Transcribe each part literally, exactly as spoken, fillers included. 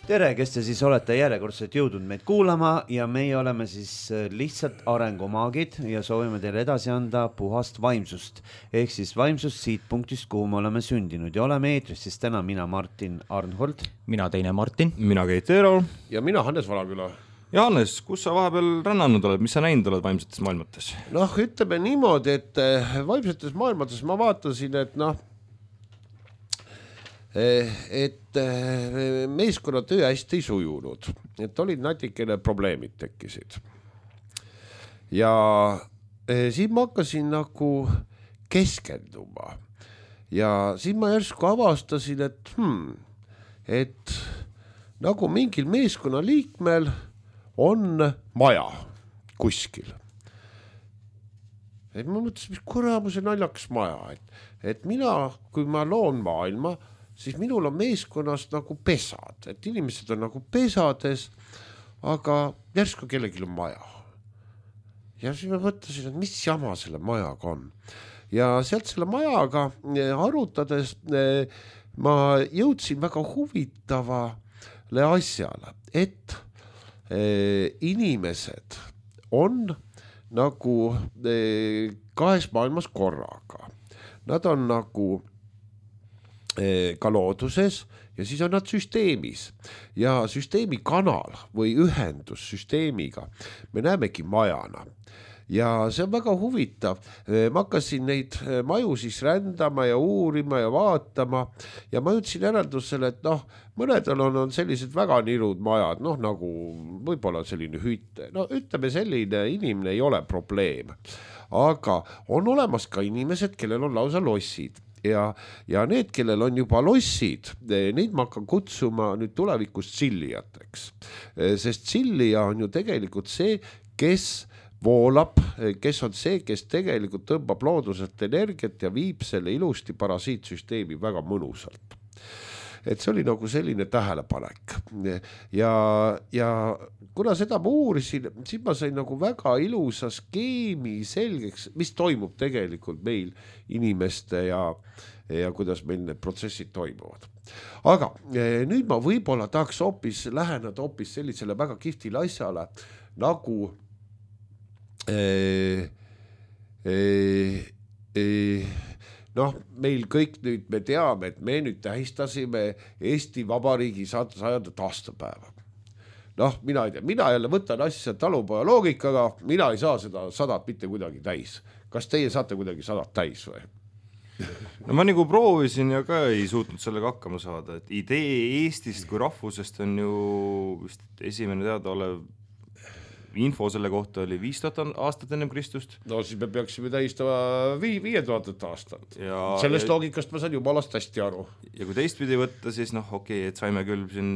tere, kes te siis olete järjekordselt jõudnud meid kuulama ja meie oleme siis lihtsalt arengumaagid ja soovime teile edasi anda puhast vaimsust. Ehk siis vaimsust siit punktist, kuhu me oleme sündinud ja oleme eetris siis täna mina Martin Arnhold. Mina teine Martin. Mina Keit Eero. Ja mina Hannes Valaküla. Ja Hannes, kus sa vahepeal rännanud oled, mis sa näinud oled vaimsetes maailmates? Noh, ütleme niimoodi, et vaimsetes maailmates ma vaatasin, et noh, et meeskonnatöö hästi ei sujunud, et olid natikene probleemid tekkisid. Ja siin ma hakkasin nagu keskenduma ja siin ma järsku avastasin, et, hmm, et nagu mingil meeskonna liikmel on maja kuskil. Et ma mõtlesin, mis kuramuse naljakas maja, et, et mina, kui ma loon maailma, siis minul on meeskonnast nagu pesad, et inimesed on nagu pesades, aga järsku kellelgi on maja. Ja siis ma mõtlesin, et mis jama selle majaga on. Ja sealt selle majaga arutades ma jõudsin väga huvitavale asjale, et inimesed on nagu kahes maailmas korraga. Nad on nagu ka looduses ja siis on nad süsteemis ja süsteemi kanal või ühendus süsteemiga me näemegi majana ja see on väga huvitav. Ma hakkasin neid maju siis rändama ja uurima ja vaatama ja ma jõudsin järeldusele, et noh, mõnedel on, on sellised väga nirud majad, noh nagu võib-olla selline hütte, no ütleme selline inimene ei ole probleem, aga on olemas ka inimesed, kellel on lausa lossid. Ja, ja need, kellel on juba lossid, neid ma hakkan kutsuma nüüd tulevikus tsillijateks. Sest tsillija on ju tegelikult see, kes voolab, kes on see, kes tegelikult tõmbab looduselt energiat ja viib selle ilusti parasiitsüsteemi väga mõnusalt. Et see oli nagu selline tähelepanek. Ja, ja kuna seda ma uurisin, siis ma sain nagu väga ilusa skeemi selgeks, mis toimub tegelikult meil inimeste ja, ja kuidas meil need protsessid toimuvad. Aga nüüd ma võib-olla tahaks hoopis läheneda hoopis sellisele väga kihvtile asjale, nagu ee, ee, ee, noh, meil kõik nüüd me teame, et me nüüd tähistasime Eesti Vabariigi sajandat aastapäeva. Noh, mina ei tea, mina jälle võtan asja talupoja loogikaga, mina ei saa seda sadat mitte kuidagi täis. Kas teie saate kuidagi sadat täis või? No ma nagu proovisin ja ka ei suutnud sellega hakkama saada, et idee Eestist kui rahvusest on ju vist esimene teada olev info selle kohta oli viis tuhat aastat ennem Kristust. No siis me peaksime tähistama vii, viie tuhandet aastat. Ja, sellest ja, loogikast ma saan jumalast hästi aru. Ja kui teistpidi võtta, siis noh, okei, okay, et saime küll siin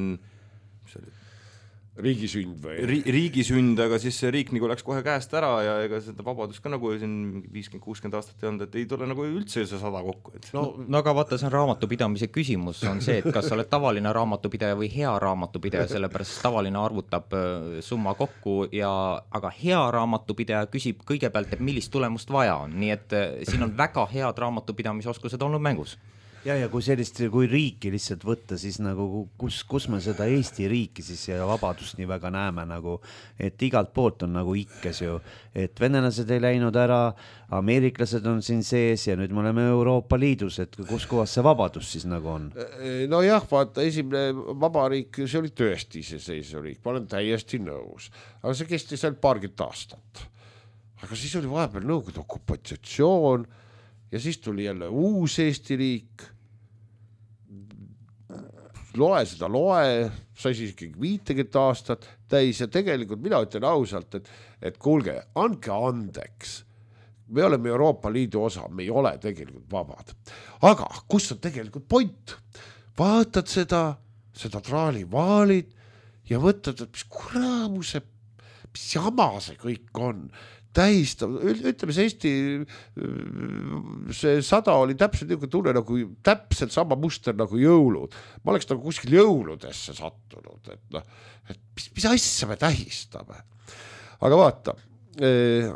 riigisünd või? Ri, riigisünd, aga siis see riik nagu läks kohe käest ära ja ega seda vabadust ka nagu siin viiskümmend kuuskümmend aastat ei olnud, et ei tule nagu üldse see sada kokku. Et... No, no aga vaata, see on raamatupidamise küsimus, on see, et kas sa oled tavaline raamatupidaja või hea raamatupidaja, sellepärast tavaline arvutab summa kokku, ja, aga hea raamatupidaja küsib kõigepealt, et millist tulemust vaja on, nii et siin on väga head raamatupidamisoskused olnud mängus. Ja, ja kui sellist, kui riiki lihtsalt võtta, siis nagu kus, kus me seda Eesti riiki siis ja vabadust nii väga näeme nagu, et igalt poolt on nagu ikkes ju, et venelased ei läinud ära, ameeriklased on siin sees ja nüüd me oleme Euroopa Liidus, et kus kohas see vabadus siis nagu on? No jah, vaata, esimene vabariik, see oli tõesti iseseisev riik, ma olen täiesti nõus, aga see kestis seal paarkümmend aastat. Aga siis oli vahepeal Nõukogude okupatsioon ja siis tuli jälle uus Eesti riik. Loe seda loe, sai siis ikkagi viitekümmet aastat täis ja tegelikult mina ütlen ausalt, et, et kuulge, andke andeks. Me oleme Euroopa Liidu osa, me ei ole tegelikult vabad. Aga kus on tegelikult point? Vaatad seda, seda traalivaalid ja mõtled, et mis kuramuse, mis jama see kõik on. Tähistab, ütleme see Eesti see sada oli täpselt niisugune tunne nagu täpselt sama muster nagu jõulud. Ma oleks nagu kuskil jõuludesse sattunud, et, no, et mis, mis asja me tähistame. Aga vaata,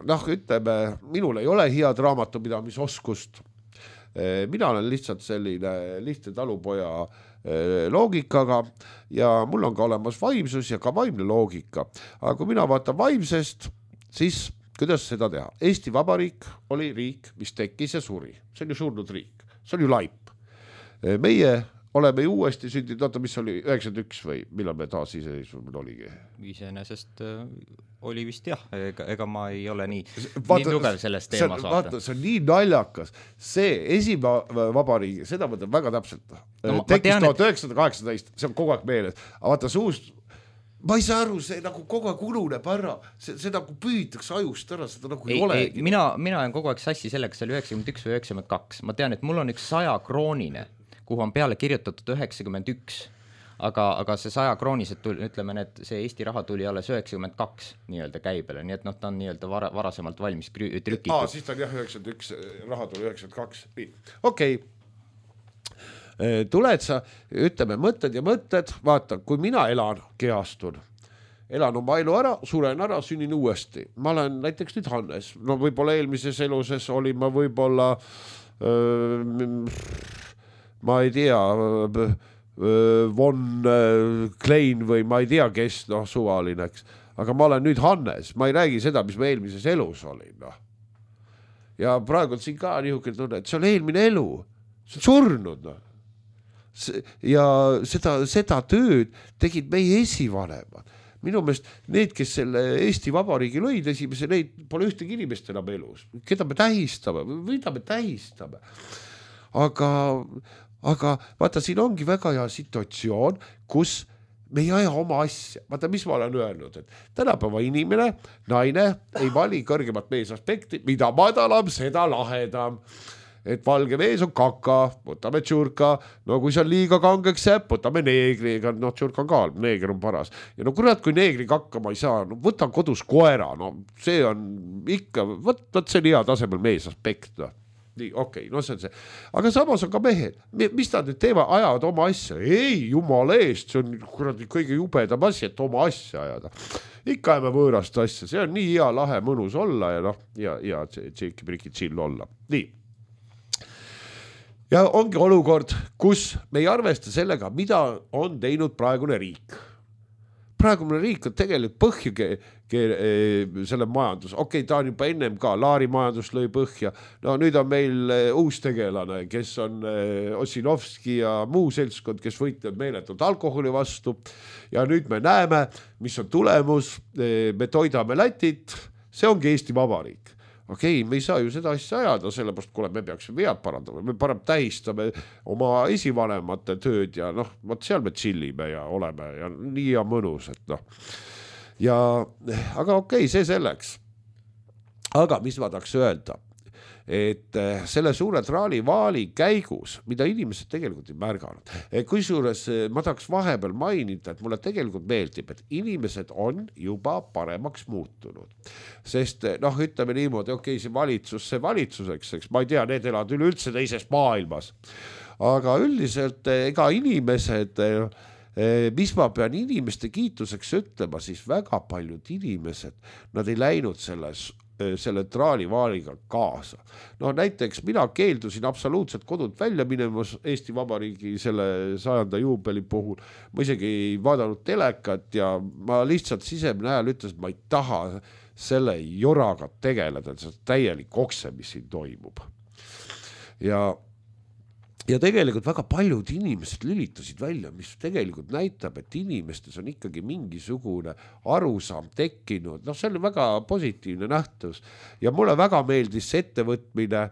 noh, ütleme, minul ei ole head raamatupidamisoskust. Mina olen lihtsalt selline lihtne talupoja loogikaga ja mul on ka olemas vaimsus ja ka vaimne loogika. Aga kui mina vaatan vaimsest, siis kuidas seda teha? Eesti Vabariik oli riik, mis tekkis ja suri. See on ju surnud riik. See on ju laip. Meie oleme ju uuesti sündinud, oota, mis oli üheksakümmend üks või millal me taas iseseisvumine oligi? Iseenesest äh, oli vist jah, ega, ega ma ei ole nii, vaata, nii tugev selles teemas. See, vaata, see on nii naljakas. See esimene vabariigi, seda mõtleb väga täpselt. No, tekkis tuhat üheksasada kaheksateist, see on kogu aeg meeles. Aga vaata, suust, ma ei saa aru, see nagu kogu aeg ununeb ära, see, see nagu püütakse ajust ära, seda nagu ei, ei olegi. Mina, mina olen kogu aeg sassi selleks, see oli üheksakümmend üks või üheksakümmend kaks. Ma tean, et mul on üks saja kroonine, kuhu on peale kirjutatud üheksakümmend üks, aga, aga see saja kroonised tuli, ütleme, et see Eesti raha tuli alles üheksakümmend kaks nii-öelda käibele, nii et noh, ta on nii-öelda vara, varasemalt valmis trükitud. Aa, siis ta on jah üheksakümmend üks, raha tuli üheksakümmend kaks. Okei, okay. Tuled sa, ütleme, mõtted ja mõtted, vaata, kui mina elan, kehastun, elan oma elu ära, suren ära, sünnin uuesti. Ma olen näiteks nüüd Hannes, no võib-olla eelmises eluses olin ma võib-olla öö, ma ei tea, Von Klein või ma ei tea, kes, noh, suvalineks. Aga ma olen nüüd Hannes, ma ei räägi seda, mis ma eelmises elus olin. No. Ja praegu on siin ka niisugune tunne, et see on eelmine elu, see on surnud. No. Ja seda, seda tööd tegid meie esivanemad. Minu meelest need, kes selle Eesti Vabariigi lõid esimese, neid pole ühtegi inimest enam elus. Keda me tähistame, mida me tähistame. Aga, aga vaata, siin ongi väga hea situatsioon, kus me ei aja oma asja. Vaata, mis ma olen öelnud, et tänapäeva inimene, naine ei vali kõrgemat meesaspekti, mida madalam, seda lahedam. Et valge mees on kaka, võtame tšurka, no kui see on liiga kangeks jääb, võtame neegri, ega no tšurka on ka, neeger on paras. Ja no kurat, kui neegri kakka ma ei saa, no võtan kodus koera, no see on ikka, võt, võt see on hea tasemel meesaspekt, no. Nii, okei, okay, no see on see. Aga samas on ka mehed, mis nad nüüd teevad, ajavad oma asja? Ei, jumala eest, see on kuradi kõige jubedam asi, et oma asja ajada. Ikka ajame võõrast asja, see on nii hea, lahe, mõnus olla ja noh, ja, ja tšeki-priki chill olla. Nii. Ja ongi olukord, kus me ei arvesta sellega, mida on teinud praegune riik. Praegune riik on tegelikult põhja ke, ke, selle majandus. Okei, okay, ta on juba ennem ka, Laari majandus lõi põhja. No nüüd on meil uus tegelane, kes on Ossinovski ja muu seltskond, kes võitlevad meeletult alkoholi vastu. Ja nüüd me näeme, mis on tulemus. Me toidame Lätit, see ongi Eesti Vabariik. Okei, okay, me ei saa ju seda asja ajada, sellepärast kuule, me peaksime vead parandama, me parem tähistame oma esivanemate tööd ja noh, vaat seal me chillime ja oleme ja nii ja mõnus, et noh. Ja, aga okei, okay, see selleks. Aga mis ma tahaks öelda, et selle suure traalivaali käigus, mida inimesed tegelikult ei märganud, kui suures ma tahaks vahepeal mainida, et mulle tegelikult meeldib, et inimesed on juba paremaks muutunud. Sest noh, ütleme niimoodi, okei, okay, see valitsus, see valitsuseks, eks, ma ei tea, need elavad üleüldse teises maailmas. Aga üldiselt ega inimesed, mis ma pean inimeste kiituseks ütlema, siis väga paljud inimesed, nad ei läinud selles selle traalivaaliga kaasa. No näiteks mina keeldusin absoluutselt kodult välja minemas Eesti Vabariigi selle sajanda juubeli puhul. Ma isegi ei vaadanud telekat ja ma lihtsalt sisemine ajal ütles, et ma ei taha selle joraga tegeleda, see täielik okse, mis siin toimub. Ja Ja tegelikult väga paljud inimesed lülitasid välja, mis tegelikult näitab, et inimestes on ikkagi mingisugune arusaam tekkinud. No see oli väga positiivne nähtus. Ja mulle väga meeldis see ettevõtmine,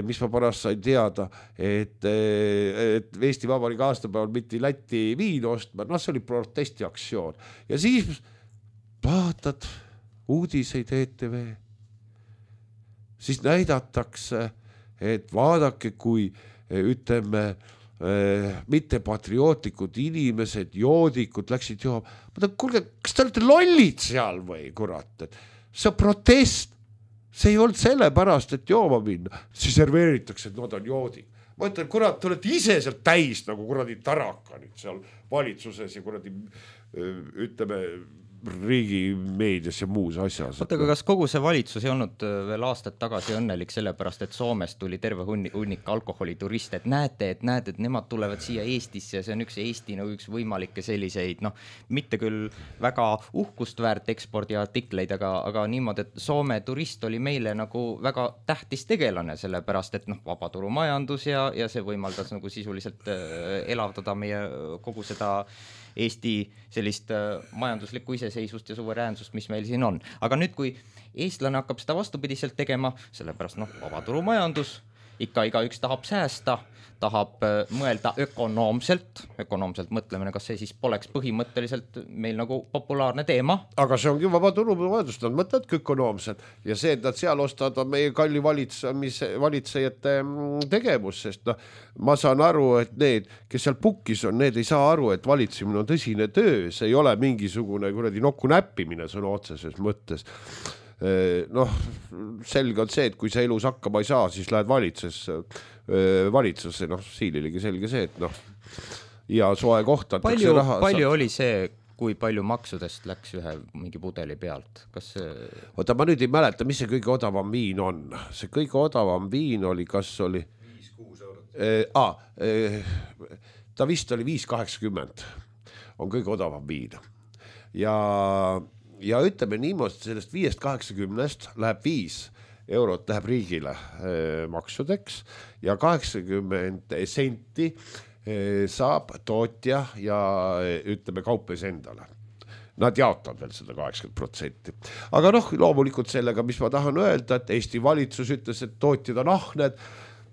mis ma pärast sain teada, et, et Eesti Vabariigi aastapäeval mitte Läti viin ostma. No see oli protestiaktsioon. Ja siis vaatad uudiseid E T V. Siis näidatakse, et vaadake, kui ütleme, mitte patriootlikud inimesed, joodikud läksid jooma. Ma tahan, kuulge, kas te olete lollid seal või, kurat? See protest, see ei olnud selle pärast, et jooma minna. Siis serveeritakse, et nad on joodik. Ma ütlen, kurat, te olete ise seal täis nagu kuradi taraka nüüd seal valitsuses ja kuradi, ütleme, riigi meedias ja muus asjas. Oota, aga kas kogu see valitsus ei olnud veel aastad tagasi õnnelik sellepärast, et Soomest tuli terve hunnik alkoholituriste, et näete, et näete, et nemad tulevad siia Eestisse ja see on üks Eesti nagu üks võimalikke selliseid, noh, mitte küll väga uhkust väärt ekspordiartikleid, aga, aga niimoodi, et Soome turist oli meile nagu väga tähtis tegelane, sellepärast, et noh, vabaturumajandus ja, ja see võimaldas nagu sisuliselt elavdada meie kogu seda Eesti sellist majanduslikku iseseisvust ja suveräänsust, mis meil siin on. Aga nüüd, kui eestlane hakkab seda vastupidiselt tegema, sellepärast noh, vabaturumajandus, ikka igaüks tahab säästa, tahab mõelda ökonoomselt, ökonoomselt mõtlemine, kas see siis poleks põhimõtteliselt meil nagu populaarne teema? Aga see ongi vabaturumajandus, nad mõtlevad ökonoomselt ja see, et nad seal ostavad on meie kalli valitsemise, valitsejate tegevus, sest noh, ma saan aru, et need, kes seal pukkis on, need ei saa aru, et valitsemine on tõsine töö, see ei ole mingisugune kuradi nokku näppimine sõna otseses mõttes. Noh, selge on see, et kui sa elus hakkama ei saa, siis lähed valitsusse, valitsusse, noh, siililegi selge see, et noh, ja soe kohta palju, raha, palju saab... oli see, kui palju maksudest läks ühe mingi pudeli pealt? Kas see... Oota, ma nüüd ei mäleta, mis see kõige odavam viin on. See kõige odavam viin oli, kas oli viis kuus eurot. Eh, ah, eh, ta vist oli viis kaheksakümmend. On kõige odavam viin. Ja ja ütleme niimoodi, sellest viiest kaheksakümnest läheb viis eurot läheb riigile eh, maksudeks ja kaheksakümmend senti eh, saab tootja ja ütleme kaupes endale. Nad jaotavad veel seda kaheksakümmend protsenti. Aga noh, loomulikult sellega, mis ma tahan öelda, et Eesti valitsus ütles, et tootjad on ahned.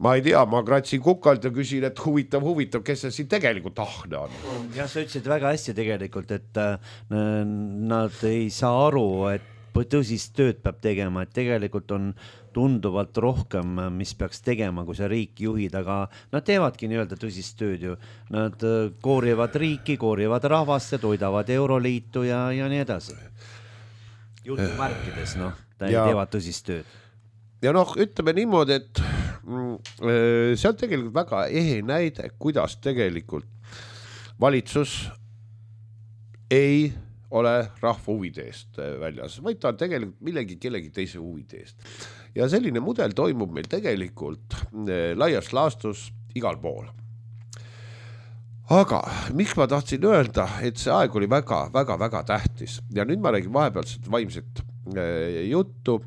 Ma ei tea, ma kratsin kukalt ja küsin, et huvitav, huvitav, kes see siin tegelikult ahne on. Ja sa ütlesid väga hästi tegelikult, et nad ei saa aru, et tõsist tööd peab tegema, et tegelikult on tunduvalt rohkem, mis peaks tegema, kui sa riiki juhid, aga nad teevadki nii-öelda tõsist tööd ju. Nad koorivad riiki, koorivad rahvast ja toidavad Euroliitu ja, ja nii edasi. Jutumärkides, noh, ja teevad tõsist tööd. Ja noh, ütleme niimoodi, et see on tegelikult väga ehe näide, kuidas tegelikult valitsus ei ole rahva huvide eest väljas, vaid ta on tegelikult millegi kellegi teise huvide eest. Ja selline mudel toimub meil tegelikult laias laastus igal pool. Aga miks ma tahtsin öelda, et see aeg oli väga, väga, väga tähtis ja nüüd ma räägin vahepealset vaimset juttu,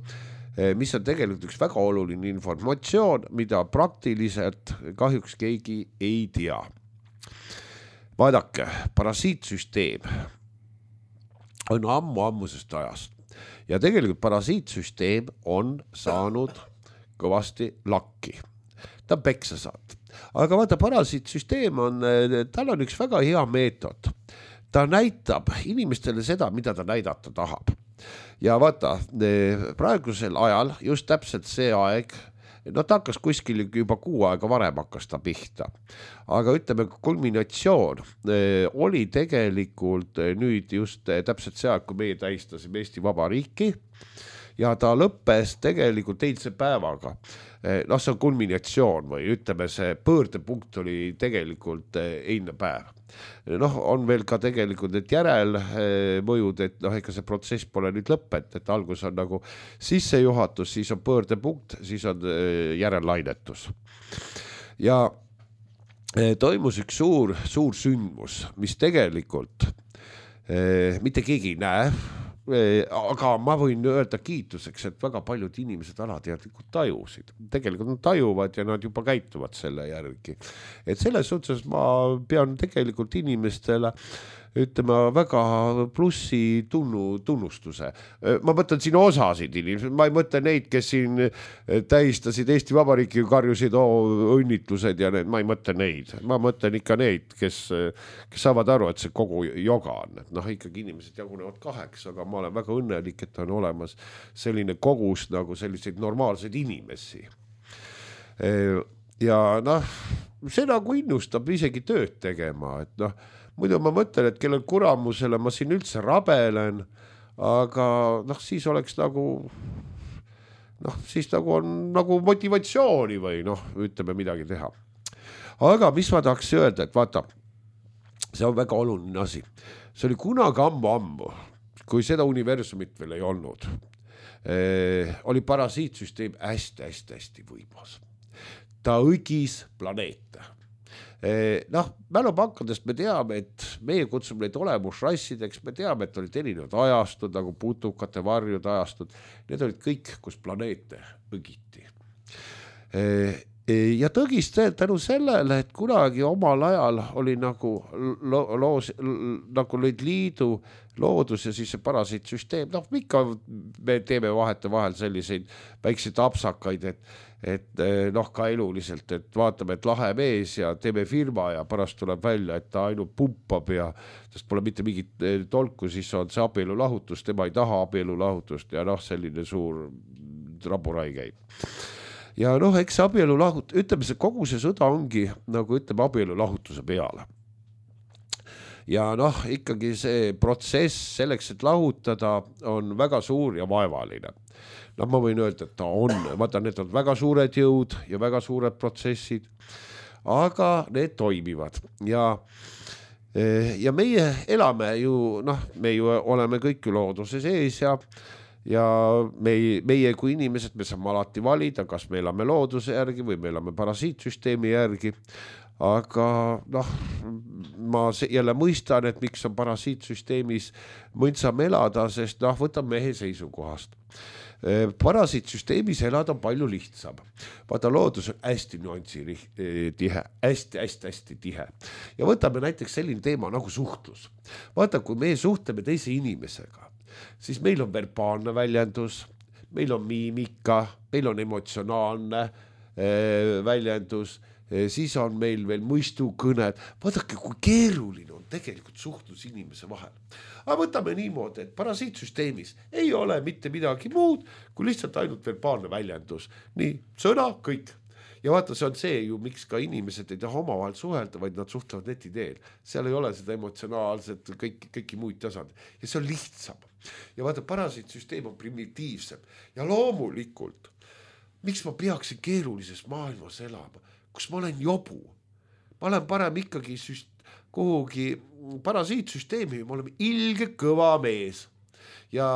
mis on tegelikult üks väga oluline informatsioon, mida praktiliselt kahjuks keegi ei tea. Vaadake, parasiitsüsteem on ammu-ammusest ajast ja tegelikult parasiitsüsteem on saanud kõvasti lakki. Ta on peksa saanud. Aga vaata, parasiitsüsteem on, tal on üks väga hea meetod. Ta näitab inimestele seda, mida ta näidata tahab. Ja vaata, praegusel ajal, just täpselt see aeg, no ta hakkas kuskil juba kuu aega varem hakkas ta pihta. Aga ütleme, kulminatsioon oli tegelikult nüüd just täpselt see aeg, kui meie tähistasime Eesti Vabariiki ja ta lõppes tegelikult eilse päevaga. No see on kulminatsioon või ütleme, see pöördepunkt oli tegelikult eilne päev. Noh, on veel ka tegelikult need järelmõjud, et noh, ega see protsess pole nüüd lõpet, et algus on nagu sissejuhatus, siis on pöördepunkt, siis on järellainetus. Ja toimus üks suur, suur sündmus, mis tegelikult mitte keegi ei näe, aga ma võin öelda kiituseks, et väga paljud inimesed alateadlikult tajusid. Tegelikult nad tajuvad ja nad juba käituvad selle järgi. Et selles suhtes ma pean tegelikult inimestele ütleme väga plussi tunnu, tunnustuse. Ma mõtlen siin osasid inimesed, ma ei mõtle neid, kes siin tähistasid Eesti Vabariiki, karjusid oh, õnnitlused ja need, ma ei mõtle neid. Ma mõtlen ikka neid, kes, kes saavad aru, et see kogu joga on. Et noh, ikkagi inimesed jagunevad kaheks, aga ma olen väga õnnelik, et on olemas selline kogus nagu selliseid normaalseid inimesi. Ja noh, see nagu innustab isegi tööd tegema, et noh, muidu ma mõtlen, et kellel kuramusele ma siin üldse rabelen, aga noh, siis oleks nagu, noh, siis nagu on nagu motivatsiooni või noh, ütleme midagi teha. Aga mis ma tahaks öelda, et vaata, see on väga oluline asi. See oli kunagi ammu-ammu, kui seda universumit veel ei olnud, oli parasiitsüsteem hästi-hästi-hästi võimas. Ta õgis planeete. Noh, mälupankadest me teame, et meie kutsume neid olemusrassideks, me teame, et olid erinevad ajastud, nagu putukate varjud ajastud, need olid kõik, kus planeete õgiti. Ja tõgis tänu sellele, et kunagi omal ajal oli nagu, lo- loos, nagu lõid liidu loodus ja siis see parasiitsüsteem, noh, ikka me teeme vahete vahel selliseid väikseid apsakaid, et et noh, ka eluliselt, et vaatame, et lahe mees ja teeme firma ja pärast tuleb välja, et ta ainult pumpab ja sest pole mitte mingit tolku, siis on see abielulahutus, tema ei taha abielulahutust ja noh, selline suur raburai käib. Ja noh, eks abielulahut, ütleme see kogu see sõda ongi nagu ütleme abielulahutuse peale. Ja noh, ikkagi see protsess selleks, et lahutada on väga suur ja vaevaline. Noh, ma võin öelda, et ta on, vaata, need on väga suured jõud ja väga suured protsessid, aga need toimivad ja, ja meie elame ju, noh, me ju oleme kõik ju looduse sees ja ja meie, meie kui inimesed, me saame alati valida, kas me elame looduse järgi või me elame parasiitsüsteemi järgi, aga noh, ma jälle mõistan, et miks on parasiitsüsteemis mõndsam elada, sest noh, võtan mehe seisukohast. Parasiitsüsteemis elada on palju lihtsam. Vaata, loodus on hästi nüansi tihe, hästi, hästi, hästi tihe. Ja võtame näiteks selline teema nagu suhtlus. Vaata, kui me suhtleme teise inimesega, siis meil on verbaalne väljendus, meil on miimika, meil on emotsionaalne väljendus, siis on meil veel mõistukõned. Vaadake, kui keeruline on tegelikult suhtlus inimese vahel. Aga võtame niimoodi, et parasiitsüsteemis ei ole mitte midagi muud, kui lihtsalt ainult verbaalne väljendus. Nii, sõna, kõik. Ja vaata, see on see ju, miks ka inimesed ei taha omavahel suhelda, vaid nad suhtlevad neti teel. Seal ei ole seda emotsionaalset, kõik, kõiki muid tasand. Ja see on lihtsam. Ja vaata, parasiitsüsteem on primitiivsem. Ja loomulikult, miks ma peaksin keerulises maailmas elama? Kus ma olen jobu. Ma olen parem ikkagi süst, kuhugi parasiitsüsteemi, ma olen ilge kõva mees. Ja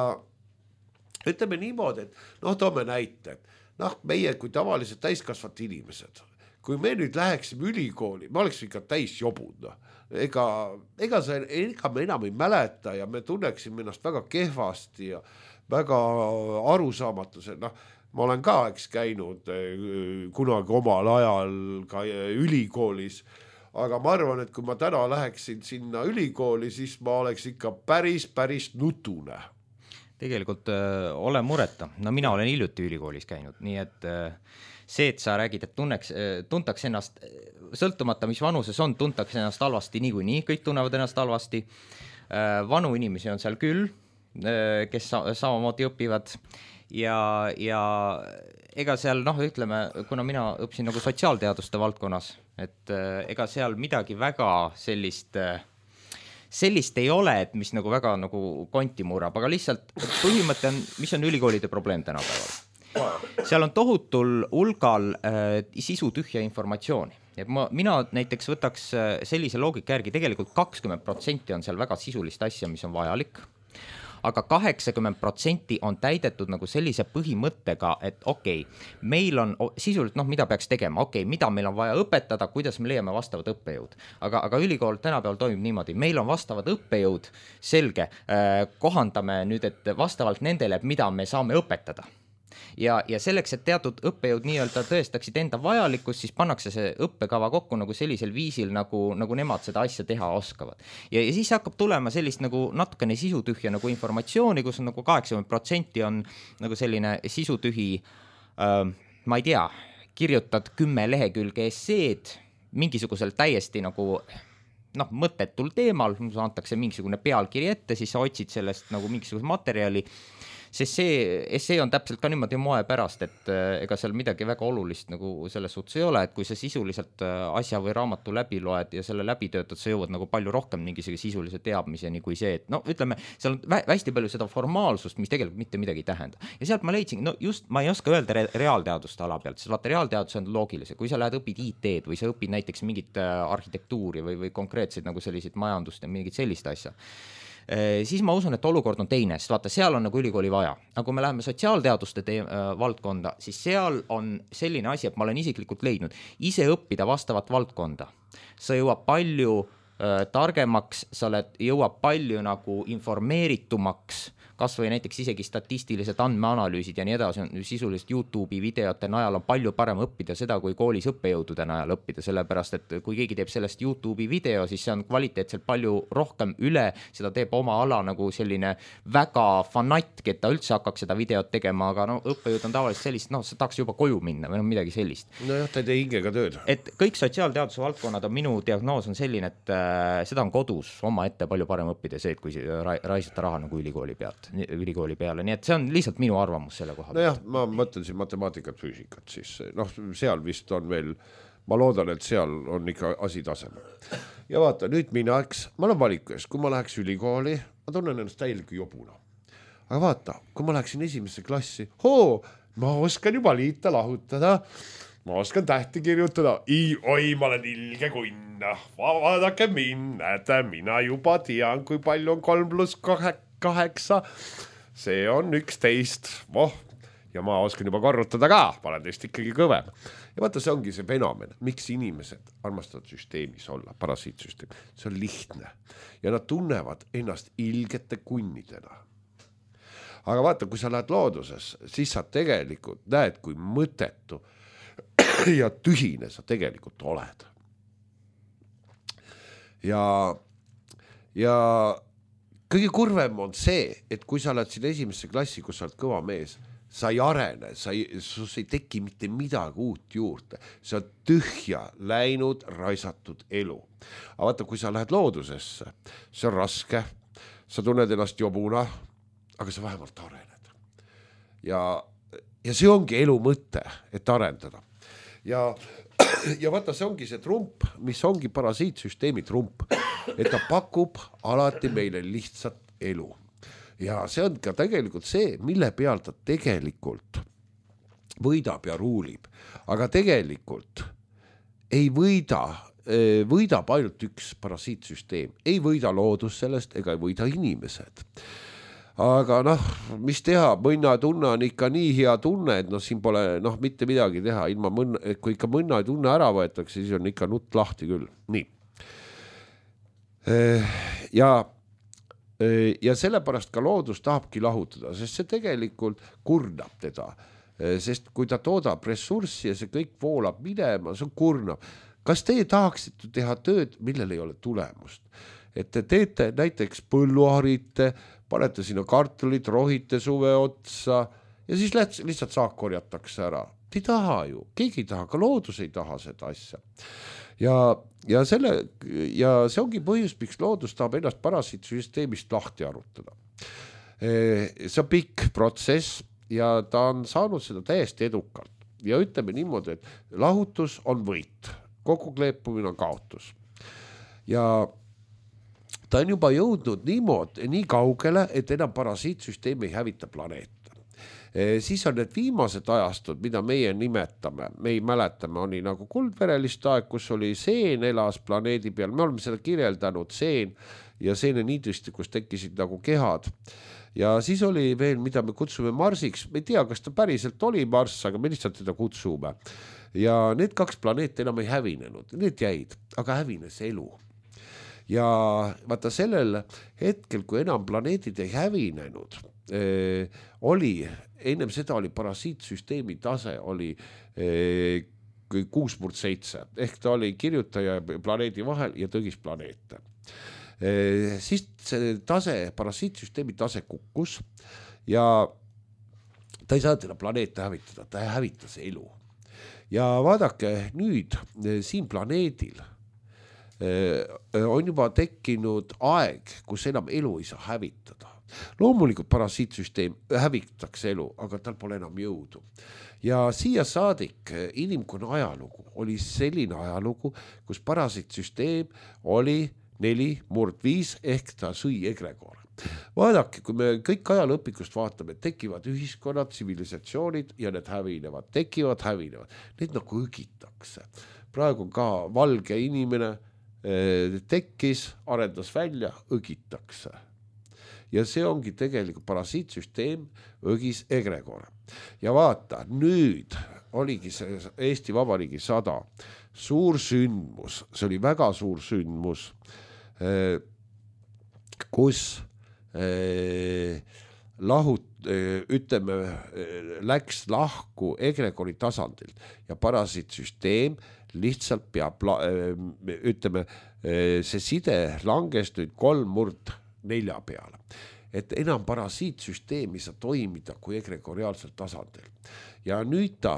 ütleme niimoodi, et noh, toome näite, et noh, meie kui tavalised täiskasvat inimesed, kui me nüüd läheksime ülikooli, me oleks ikka täis jobud, no. ega, ega, see, ega me enam ei mäleta ja me tunneksime ennast väga kehvasti ja väga arusaamatus, noh, ma olen ka eks käinud kunagi omal ajal ka ülikoolis, aga ma arvan, et kui ma täna läheksin sinna ülikooli, siis ma oleks ikka päris, päris nutune. Tegelikult äh, ole mureta. No mina olen hiljuti ülikoolis käinud, nii et äh, see, et sa räägid, et tunneks, äh, tuntaks ennast, sõltumata mis vanuses on, tuntaks ennast halvasti niikuinii, kõik tunnevad ennast halvasti. Äh, vanu inimesi on seal küll, äh, kes sa- samamoodi õpivad. Ja, ja ega seal, noh, ütleme, kuna mina õppisin nagu sotsiaalteaduste valdkonnas, et äh, ega seal midagi väga sellist, äh, sellist ei ole, et mis nagu väga nagu konti murrab, aga lihtsalt põhimõte on, mis on ülikoolide probleem tänapäeval. Seal on tohutul hulgal äh, sisu tühja informatsiooni. Ja ma, mina näiteks võtaks äh, sellise loogika järgi, tegelikult kakskümmend protsenti on seal väga sisulist asja, mis on vajalik, aga kaheksakümmend protsenti on täidetud nagu sellise põhimõttega, et okei, okay, meil on sisuliselt, noh, mida peaks tegema, okei, okay, mida meil on vaja õpetada, kuidas me leiame vastavad õppejõud. Aga, aga ülikool tänapäeval toimib niimoodi, meil on vastavad õppejõud, selge, äh, kohandame nüüd, et vastavalt nendele, mida me saame õpetada. Ja, ja selleks, et teatud õppejõud nii-öelda tõestaksid enda vajalikkust, siis pannakse see õppekava kokku nagu sellisel viisil, nagu, nagu nemad seda asja teha oskavad. Ja, ja siis hakkab tulema sellist nagu natukene sisutühja nagu informatsiooni, kus on nagu kaheksakümmend protsenti on nagu selline sisutühi, äh, ma ei tea, kirjutad kümme lehekülge esseed mingisugusel täiesti nagu noh, mõttetul teemal, antakse mingisugune pealkiri ette, siis sa otsid sellest nagu mingisuguse materjali, sest see, see on täpselt ka niimoodi moe pärast, et ega seal midagi väga olulist nagu selles suhtes ei ole, et kui sa sisuliselt asja või raamatu läbi loed ja selle läbi töötad, sa jõuad nagu palju rohkem mingisugune sisulise teadmiseni kui see, et no ütleme, seal on vä- hästi palju seda formaalsust, mis tegelikult mitte midagi ei tähenda. Ja sealt ma leidsin, no just ma ei oska öelda re- reaalteaduste ala pealt, sest vaata reaalteadus on loogilise, kui sa lähed õpid I T-d või sa õpid näiteks mingit arhitektuuri või, või konkreetseid nagu selliseid majandust ja mingit sellist asja, siis ma usun, et olukord on teine, sest vaata, seal on nagu ülikooli vaja. Aga kui me läheme sotsiaalteaduste te- valdkonda, siis seal on selline asi, et ma olen isiklikult leidnud, ise õppida vastavat valdkonda. Sa jõuab palju äh, targemaks, sa oled, jõuab palju nagu informeeritumaks, kas või näiteks isegi statistilised andmeanalüüsid ja nii edasi, on sisuliselt YouTube'i videote najal on palju parem õppida seda, kui koolis õppejõudude najal õppida, sellepärast et kui keegi teeb sellest YouTube'i video, siis see on kvaliteetselt palju rohkem üle, seda teeb oma ala nagu selline väga fanatk, et ta üldse hakkaks seda videot tegema, aga no õppejõud on tavaliselt sellist, noh, sa tahaks juba koju minna või no midagi sellist. No jah, ta ei tee hingega tööd. Et kõik sotsiaalteaduse valdkonnad on minu diagnoos on selline, et äh, seda on kodus oma ette palju parem õppida see, et kui ra- raisata raha nagu ülikooli pealt. ülikooli peale, nii et see on lihtsalt minu arvamus selle koha. No jah, ma mõtlen siin matemaatikat, füüsikat, siis noh, seal vist on veel, ma loodan, et seal on ikka asi tasemel. Ja vaata, nüüd minaks, ma olen valiku ees, kui ma läheks ülikooli, ma tunnen ennast täieliku jobuna. Aga vaata, kui ma läheksin esimesse klassi, hoo, ma oskan juba liita, lahutada, ma oskan tähti kirjutada, I, oi, ma olen ilge kunna, vaadake minna, et mina juba tean, kui palju on kolm pluss kaheksa, see on üksteist, voh, ja ma oskan juba korrutada ka, ma olen teist ikkagi kõvem. Ja vaata, see ongi see fenomen, miks inimesed armastavad süsteemis olla, parasiitsüsteem, see on lihtne ja nad tunnevad ennast ilgete kunnidena. Aga vaata, kui sa lähed looduses, siis sa tegelikult näed, kui mõttetu ja tühine sa tegelikult oled. Ja, ja kõige kurvem on see, et kui sa oled siin esimesse klassi, kus sa oled kõva mees, sa ei arene, sa ei, sus ei teki mitte midagi uut juurde. See on tühja läinud, raisatud elu. Aga vaata, kui sa lähed loodusesse, see on raske, sa tunned ennast jobuna, aga sa vähemalt arened. Ja, ja see ongi elu mõte, et arendada. Ja, ja vaata, see ongi see trump, mis ongi parasiitsüsteemi trump, et ta pakub alati meile lihtsat elu. Ja see on ka tegelikult see, mille peal ta tegelikult võidab ja ruulib. Aga tegelikult ei võida, võidab ainult üks parasiitsüsteem. Ei võida loodus sellest ega ei võida inimesed. Aga noh, mis teha, mõnna tunne on ikka nii hea tunne, et noh, siin pole noh, mitte midagi teha. Ilma mõnna, kui ikka mõnna tunne ära võetakse, siis on ikka nutt lahti küll. Nii. Ja, ja sellepärast ka loodus tahabki lahutada, sest see tegelikult kurnab teda. Sest kui ta toodab ressurssi ja see kõik voolab minema, see on kurnab. Kas teie tahaksite teha tööd, millel ei ole tulemust? Et te teete näiteks põlluharite, panete sinna kartulid, rohite suve otsa ja siis lihtsalt saak korjatakse ära. Te ei taha ju, keegi ei taha, ka loodus ei taha seda asja. Ja, ja, selle, ja see ongi põhjus, miks loodus tahab ennast parasiitsüsteemist lahti arutada. See on pikk protsess ja ta on saanud seda täiesti edukalt. Ja ütleme niimoodi, et lahutus on võit, kogu kleepumine on kaotus. Ja ta on juba jõudnud niimoodi, nii kaugele, et enam parasiitsüsteem ei hävita planeeta. E, siis on need viimased ajastud, mida meie nimetame, me ei mäletame, oli nagu kuldverelist aeg, kus oli seen elas planeedi peal, me oleme seda kirjeldanud, seen ja seene niidristi, kus tekkisid nagu kehad. Ja siis oli veel, mida me kutsume Marsiks, me ei tea, kas ta päriselt oli Marss, aga me lihtsalt teda kutsume. Ja need kaks planeet enam ei hävinenud, need jäid, aga hävines elu. Ja vaata sellel hetkel, kui enam planeedid ei hävinenud, eh, oli, ennem seda oli parasiitsüsteemi tase, oli eh, kuus murd seitse, ehk ta oli kirjutaja planeedi vahel ja tõgis planeete. Eh, siis see tase, parasiitsüsteemi tase kukkus ja ta ei saa teda planeete hävitada, ta hävitas elu. Ja vaadake nüüd siin planeedil on juba tekkinud aeg, kus enam elu ei saa hävitada. Loomulikult parasiitsüsteem hävitatakse elu, aga tal pole enam jõudu. Ja siia saadik inimkonna ajalugu oli selline ajalugu, kus parasiitsüsteem oli neli murd viis ehk ta sõi egregor. Vaadake, kui me kõik ajalõpikust vaatame, tekivad ühiskonnad, tsivilisatsioonid ja need hävinevad, tekivad, hävinevad. Need nagu õgitakse. Praegu ka valge inimene tekkis, arendas välja, õgitakse. ja see ongi tegelikult parasiitsüsteem Õgis egregor. Ja vaata, nüüd oligi see Eesti Vabariigi sada suur sündmus, see oli väga suur sündmus, kus lahut, ütleme, läks lahku egregori tasandilt ja parasiitsüsteem lihtsalt peab, ütleme, see side langes nüüd kolm murd nelja peale. Et enam parasiitsüsteem ei saa toimida kui egregoriaalsel tasandil. Ja nüüd ta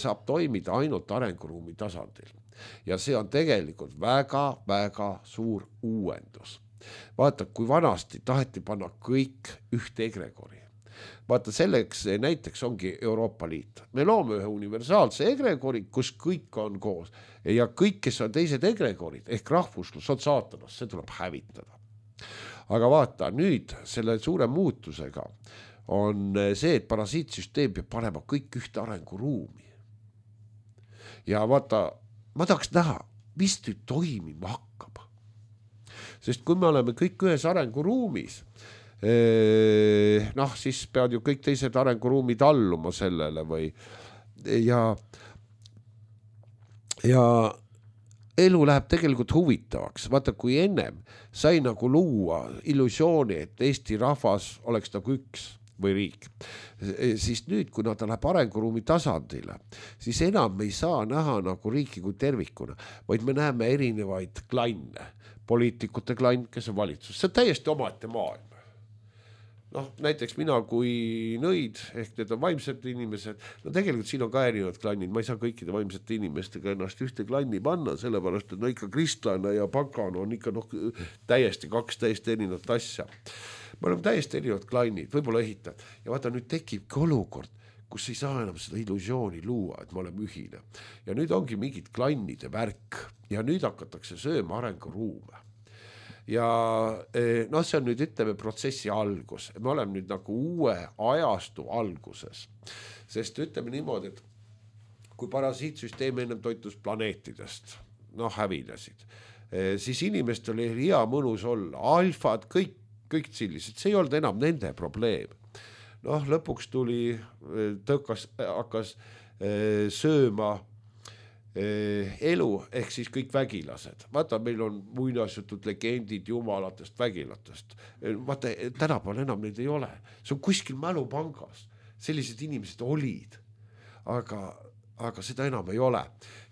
saab toimida ainult arenguruumi tasandil. Ja see on tegelikult väga-väga suur uuendus. Vaata, kui vanasti taheti panna kõik ühte egregori. Vaata, selleks näiteks ongi Euroopa Liit. Me loome ühe universaalse egregori, kus kõik on koos. Ja kõik, kes on teised egregorid, ehk rahvuslus on saatanas, see tuleb hävitada. Aga vaata, nüüd selle suure muutusega on see, et parasiitsüsteem peab panema kõik ühte arenguruumi. Ja vaata, ma tahaks näha, mis nüüd toimima hakkab. Sest kui me oleme kõik ühes arenguruumis, noh, siis peavad ju kõik teised arenguruumid alluma sellele või ja ja elu läheb tegelikult huvitavaks. Vaata, kui ennem sai nagu luua illusiooni, et Eesti rahvas oleks nagu üks või riik, siis nüüd, kui nad läheb arenguruumi tasandile, siis enam ei saa näha nagu riiki kui tervikuna, vaid me näeme erinevaid klanne, poliitikute klann, kes on valitsus. See on täiesti omaette maailm. Noh, näiteks mina kui nõid, ehk need on vaimsed inimesed, no tegelikult siin on ka erinevad klannid, ma ei saa kõikide vaimsete inimestega ennast ühte klanni panna, sellepärast, et no ikka kristlane ja pagan on ikka noh, täiesti kaks täiesti erinevat asja. Me oleme täiesti erinevad klannid, võib-olla ehitad. Ja vaata, nüüd tekibki olukord, kus ei saa enam seda illusiooni luua, et me oleme ühine. Ja nüüd ongi mingid klannide värk ja nüüd hakatakse sööma arenguruume. Ja no see on nüüd, ütleme, protsessi algus. Me oleme nüüd nagu uue ajastu alguses. Sest ütleme niimoodi, et kui parasiitsüsteem ennem toitus planeetidest, noh, hävinesid, siis inimestel oli hea mõnus olla. Alfad, kõik, kõik sellised. See ei olnud enam nende probleem. Noh, lõpuks tuli, tõukas, hakkas sööma elu, ehk siis kõik vägilased. Vaata, meil on muinasjutud legendid jumalatest, vägilatest. Vaata, tänapäeval enam neid ei ole. See on kuskil mälupangas. Sellised inimesed olid, aga, aga seda enam ei ole.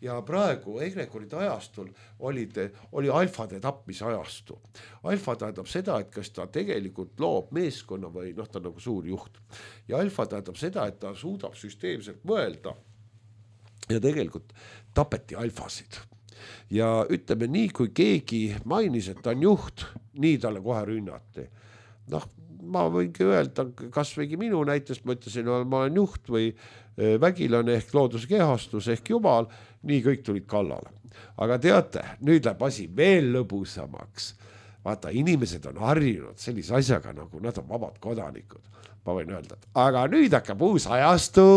Ja praegu egregoride ajastul olid, oli alfade tapmise ajastu. Alfa tähendab seda, et kas ta tegelikult loob meeskonna või noh, ta on nagu suur juht. Ja alfa tähendab seda, et ta suudab süsteemselt mõelda. Ja tegelikult tapeti alfasid. Ja ütleme nii, kui keegi mainis, et ta on juht, nii talle kohe rünnati. Noh, ma võingi öelda, kas võigi minu näitest, ma ütlesin, ma olen juht või vägilane ehk looduskehastus ehk jumal, nii kõik tulid kallale. Aga teate, nüüd läheb asi veel lõbusamaks. Vaata, inimesed on harjunud sellise asjaga, nagu nad on vabad kodanikud. Ma võin öelda, aga nüüd hakkab uus ajastu.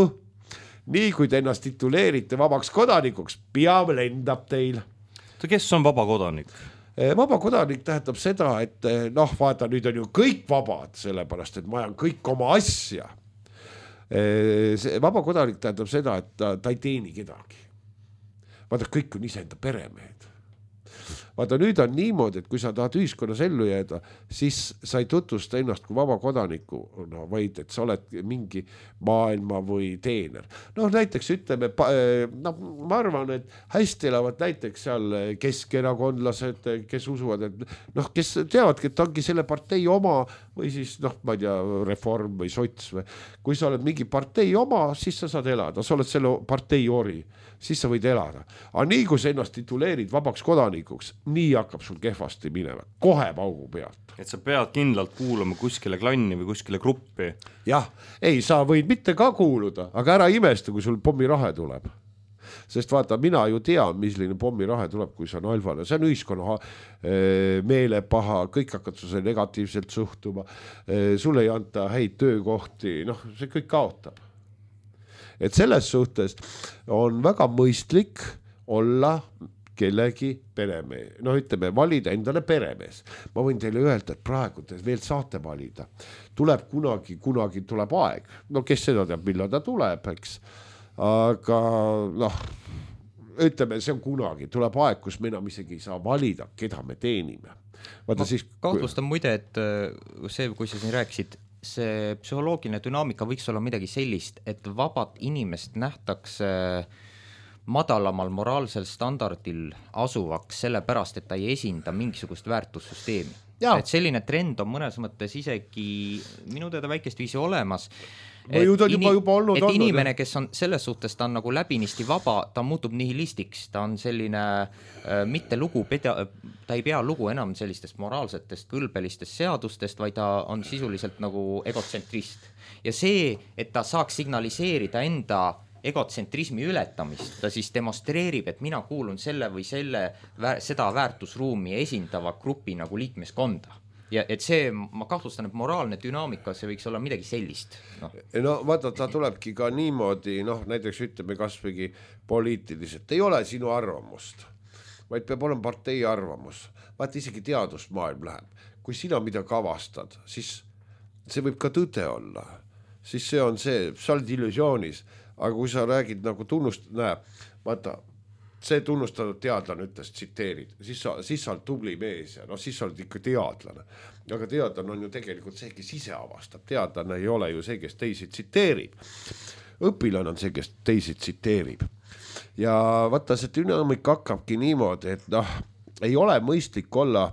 Nii kui te ennast tituleerite vabaks kodanikuks, peab lendab teil. Kes on vaba kodanik? Vaba kodanik tähendab seda, et noh, vaata, nüüd on ju kõik vabad, sellepärast, et ma ajan kõik oma asja. Vaba kodanik tähendab seda, et ta, ta ei teeni kedagi. Vaata, kõik on iseenda peremehed. Vaata, nüüd on niimoodi, et kui sa tahad ühiskonnas ellu jääda, siis sa ei tutvusta ennast kui vaba kodaniku, no, vaid et sa oled mingi maailma või teener. No näiteks ütleme, no, ma arvan, et hästi elavad näiteks seal keskerakondlased, kes usuvad, et noh, kes teavadki, et ongi selle partei oma või siis noh, ma ei tea, reform või sots või. Kui sa oled mingi partei oma, siis sa saad elada, sa oled selle partei ori, siis sa võid elada. Aga nii, kui sa ennast tituleerid vabaks kodanikuks, nii hakkab sul kehvasti minema, kohe paugu pealt. Et sa pead kindlalt kuulama kuskile klanni või kuskile gruppi. Jah, ei, sa võid mitte ka kuuluda, aga ära imesta, kui sul pommirahe tuleb. Sest vaata, mina ju tean, milline pommirahe tuleb, kui see on alfale. See on ühiskonna meelepaha, kõik hakkad sulle negatiivselt suhtuma, sulle ei anta häid töökohti, noh, see kõik kaotab. Et selles suhtes on väga mõistlik olla kellegi peremees, no ütleme, valida endale peremees. Ma võin teile öelda, et praegu te veel saate valida. Tuleb kunagi, kunagi tuleb aeg. No kes seda teab, millal ta tuleb, eks. Aga noh, ütleme, see on kunagi. Tuleb aeg, kus me enam isegi ei saa valida, keda me teenime. Vaata, ma siis... kahtlustan muide, et see, kui sa siin rääkisid, see psühholoogiline dünaamika võiks olla midagi sellist, et vabat inimest nähtakse madalamal moraalsel standardil asuvaks sellepärast, et ta ei esinda mingisugust väärtussüsteemi. Ja. Et selline trend on mõnes mõttes isegi minu teada väikest viisi olemas. Et, juba, juba, juba olnud, et olnud, inimene, kes on selles suhtes, ta on nagu läbinisti vaba, ta muutub nihilistiks, ta on selline äh, mitte lugu, peda, ta ei pea lugu enam sellistest moraalsetest kõlbelistest seadustest, vaid ta on sisuliselt nagu egotsentrist. Ja see, et ta saaks signaliseerida enda egotsentrismi ületamist, ta siis demonstreerib, et mina kuulun selle või selle, seda väärtusruumi esindava grupi nagu liikmeskonda. Ja et see, ma kahtlustan, et moraalne dünaamika, see võiks olla midagi sellist. No, no vaata, ta tulebki ka niimoodi, noh, näiteks ütleme kasvõi poliitiliselt, ei ole sinu arvamust, vaid peab olema partei arvamus. Vaata, isegi teadusmaailm läheb. Kui sina mida kavastad, siis see võib ka tõde olla. Siis see on see, sa oled illusioonis. Aga kui sa räägid nagu tunnust, näe, vaata, see tunnustatud teadlane ütles, tsiteerid, siis sa, siis sa oled tubli mees ja no siis sa oled ikka teadlane. Aga teadlane on ju tegelikult see, kes ise avastab. Teadlane ei ole ju see, kes teisi tsiteerib. Õpilane on see, kes teisi tsiteerib. Ja vaata, see dünaamika hakkabki niimoodi, et noh, ei ole mõistlik olla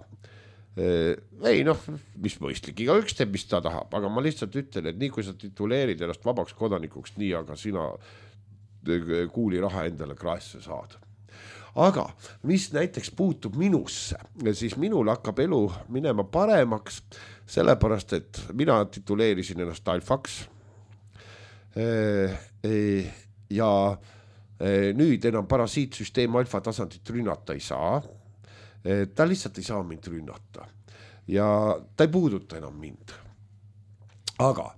ei noh, mis mõistlik, iga üks teeb, mis ta tahab, aga ma lihtsalt ütlen, et nii kui sa tituleerid ennast vabaks kodanikuks, nii aga sina kuuli raha endale kraesse saad. Aga mis näiteks puutub minusse, siis minul hakkab elu minema paremaks, sellepärast, et mina tituleerisin ennast alfaks ja nüüd enam parasiitsüsteem alfa tasandit rünnata ei saa. Ta lihtsalt ei saa mind rünnata ja ta ei puuduta enam mind. Aga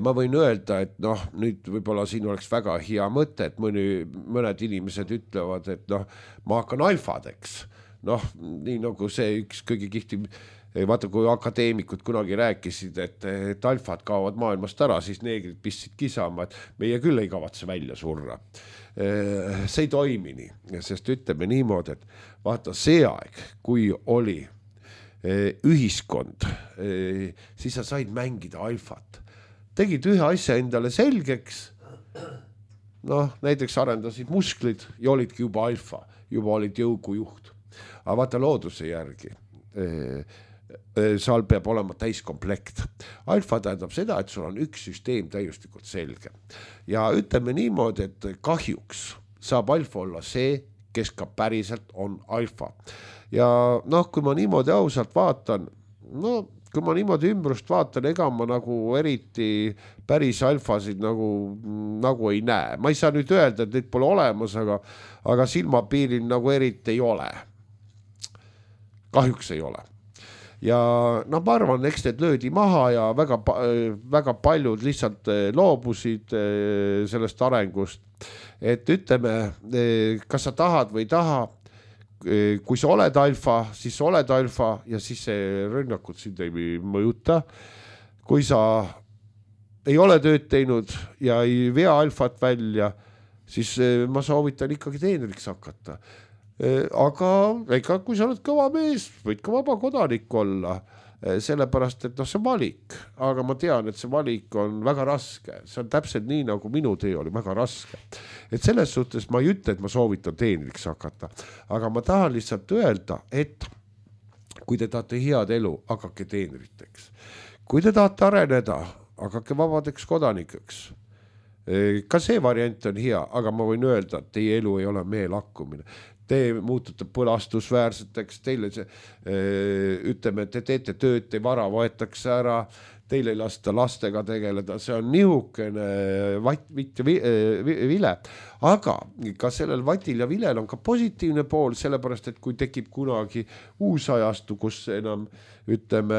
ma võin öelda, et noh, nüüd võib-olla siin oleks väga hea mõte, et mõni, mõned inimesed ütlevad, et noh, ma hakkan alfadeks. Noh, nii nagu see üks kõige kihti, vaata kui akadeemikud kunagi rääkisid, et, et alfad kaovad maailmast ära, siis neegrid pistsid kisama, et meie küll ei kavatse välja surra. See ei toimi nii, sest ütleme niimoodi, et vaata see aeg, kui oli ühiskond, siis sa said mängida alfat. Tegid ühe asja endale selgeks, noh, näiteks arendasid musklid ja olidki juba alfa, juba olid jõugujuht. Aga vaata looduse järgi, seal peab olema täiskomplekt. Alfa tähendab seda, et sul on üks süsteem täiuslikult selge. Ja ütleme niimoodi, et kahjuks saab alfa olla see, kes ka päriselt on alfa. Ja noh, kui ma niimoodi ausalt vaatan, no kui ma niimoodi ümbrust vaatan, ega ma nagu eriti päris alfasid nagu, nagu ei näe. Ma ei saa nüüd öelda, et neid pole olemas, aga, aga silmapiiril nagu eriti ei ole. Kahjuks ei ole. Ja no ma arvan, eks need löödi maha ja väga, väga paljud lihtsalt loobusid sellest arengust. Et ütleme, kas sa tahad või taha, kui sa oled alfa, siis oled alfa ja siis see rünnakud sind ei mõjuta. Kui sa ei ole tööd teinud ja ei vea alfat välja, siis ma soovitan ikkagi teenriks hakata. Aga ega kui sa oled kõva mees, võid ka vaba kodanik olla, sellepärast, et noh, see valik, aga ma tean, et see valik on väga raske, see on täpselt nii, nagu minu tee oli väga raske. Et selles suhtes ma ei ütle, et ma soovitan teenriks hakata, aga ma tahan lihtsalt öelda, et kui te tahate head elu, hakake teenriteks. Kui te tahate areneda, hakake vabadeks kodanikeks. Ka see variant on hea, aga ma võin öelda, et teie elu ei ole meelakkumine. Te muutute põlastusväärseteks, teile see, ütleme, te teete tööd, te vara võetakse ära, teile ei lasta lastega tegeleda, see on nihukene vat, vitt ja vile. Aga ka sellel vatil ja vilel on ka positiivne pool, sellepärast, et kui tekib kunagi uus ajastu, kus enam, ütleme,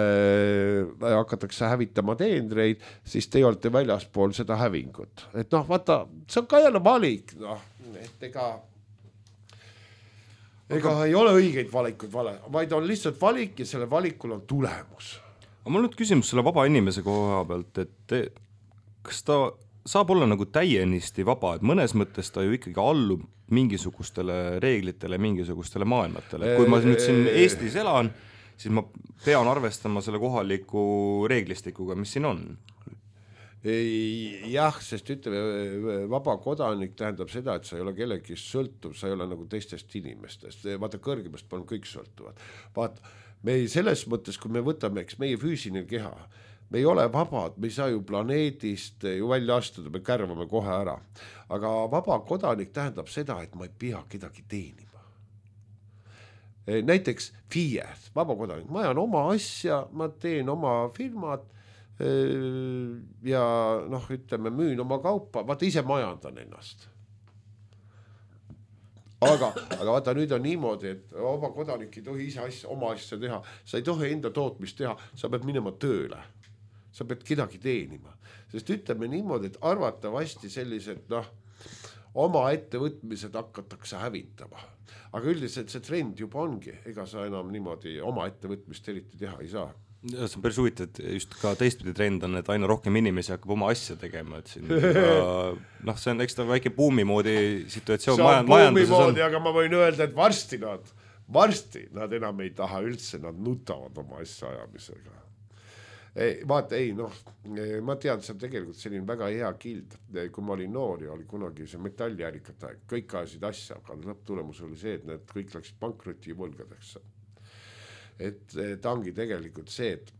hakatakse hävitama teenreid, siis te olete väljaspool seda hävingut. Et noh, vaata, see on ka jälle valik, noh, et ega ega ei ole õigeid valikuid vale, vaid on lihtsalt valik ja selle valikul on tulemus. aga mul on nüüd küsimus selle vaba inimese koha pealt, et te, kas ta saab olla nagu täienisti vaba, et mõnes mõttes ta ju ikkagi allub mingisugustele reeglitele, mingisugustele maailmatele. Kui ma nüüd siin Eestis elan, siis ma pean arvestama selle kohaliku reeglistikuga, mis siin on. Ei, jah, sest ütleme, vaba kodanik tähendab seda, et sa ei ole kellegi sõltuv, sa ei ole nagu teistest inimestest. Vaata, kõrgemast on kõik sõltuvad. Vaata, me ei, selles mõttes, kui me võtame, eks meie füüsiline keha, me ei ole vabad, me ei saa ju planeedist ju välja astuda, me kärvame kohe ära. Aga vaba kodanik tähendab seda, et ma ei pea kedagi teenima. Näiteks F I E, vaba kodanik, ma ajan oma asja, ma teen oma firmad ja noh, ütleme, müün oma kaupa, vaata ise majandan ennast. Aga, aga vaata nüüd on niimoodi, et vaba kodanik ei tohi ise asja, oma asja teha, sa ei tohi enda tootmist teha, sa pead minema tööle. Sa pead kedagi teenima, sest ütleme niimoodi, et arvatavasti sellised noh, oma ettevõtmised hakatakse hävitama. Aga üldiselt see trend juba ongi, ega sa enam niimoodi oma ettevõtmist eriti teha ei saa. Ja see on päris huvitav, et just ka teistpidi trend on, et aina rohkem inimesi hakkab oma asja tegema, et siin noh, see on eks ta väike buumi moodi situatsioon. See on buumi moodi, aga ma võin öelda, et varsti nad, varsti nad enam ei taha üldse, nad nutavad oma asja ajamisega. Ei, vaata, ei, noh, ma tean, see on tegelikult selline väga hea kild. Kui ma olin noor ja oli kunagi see metalljärikate aeg, kõik ajasid asja, aga lõpptulemus oli see, et need kõik läksid pankrotti võlgadeks. Et ta ongi tegelikult see, et,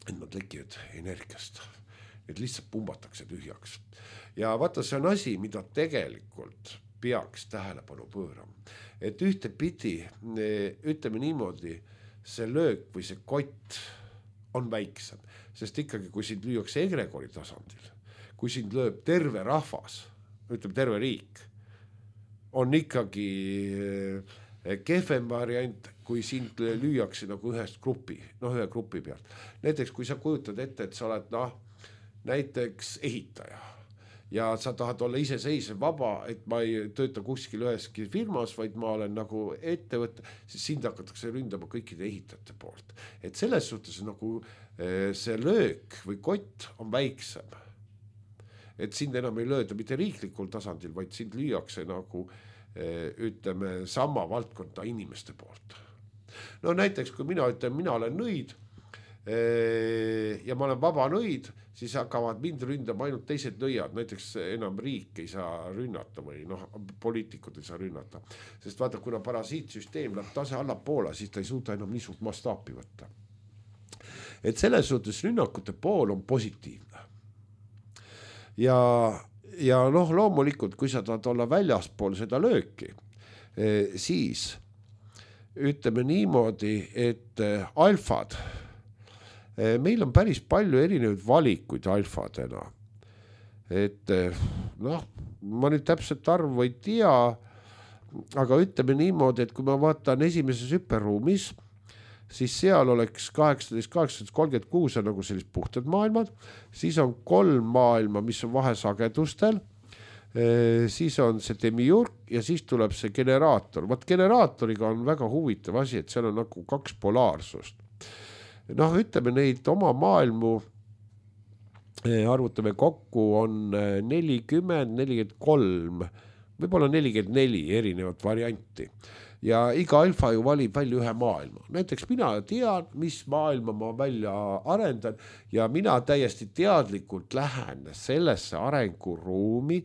et nad lekivad energiast. Et lihtsalt pumbatakse tühjaks. Ja vaata, see on asi, mida tegelikult peaks tähelepanu pöörama. Et ühte pidi, ütleme niimoodi, see löök või see kott on väiksem, sest ikkagi, kui sind lüüakse egregori tasandil, kui sind lööb terve rahvas, ütleme terve riik, on ikkagi kehvem variant, kui sind lüüakse nagu ühest grupi, noh ühe grupi pealt. Näiteks, kui sa kujutad ette, et sa oled noh, näiteks ehitaja ja sa tahad olla iseseisev vaba, et ma ei tööta kuskil üheski firmas, vaid ma olen nagu ettevõte, siis sind hakatakse ründama kõikide ehitajate poolt. Et selles suhtes nagu see löök või kott on väiksem. Et sind enam ei lööda mitte riiklikul tasandil, vaid sind lüüakse nagu ütleme sama valdkonda inimeste poolt. No näiteks, kui mina ütlen, mina olen nõid ja ma olen vaba nõid, siis hakkavad mind ründama ainult teised nõiad, näiteks enam riik ei saa rünnata või noh, poliitikud ei saa rünnata. Sest vaata, kuna parasiitsüsteem läheb tase allapoole, siis ta ei suuda enam nii suurt mastaapi võtta. Et selles suhtes rünnakute pool on positiivne. Ja, ja noh, loomulikult, kui sa tahad olla väljaspool seda lööki, siis ütleme niimoodi, et alfad, meil on päris palju erinevaid valikuid alfadena. Et noh, ma nüüd täpselt arvu ei tea, aga ütleme niimoodi, et kui ma vaatan esimeses hüperruumis, siis seal oleks kaheksateist, kaheksateist, kolmkümmend kuus on nagu sellised puhtad maailmad, siis on kolm maailma, mis on vahesagedustel, siis on see demiurg ja siis tuleb see generaator. Vaat generaatoriga on väga huvitav asi, et seal on nagu kaks polaarsust. Noh, ütleme neid oma maailmu, arvutame kokku, on nelikümmend, nelikümmend kolm, võib-olla nelikümmend neli erinevat varianti. Ja iga alfa ju valib välja ühe maailma. Näiteks mina tean, mis maailma ma välja arendan ja mina täiesti teadlikult lähen sellesse arenguruumi,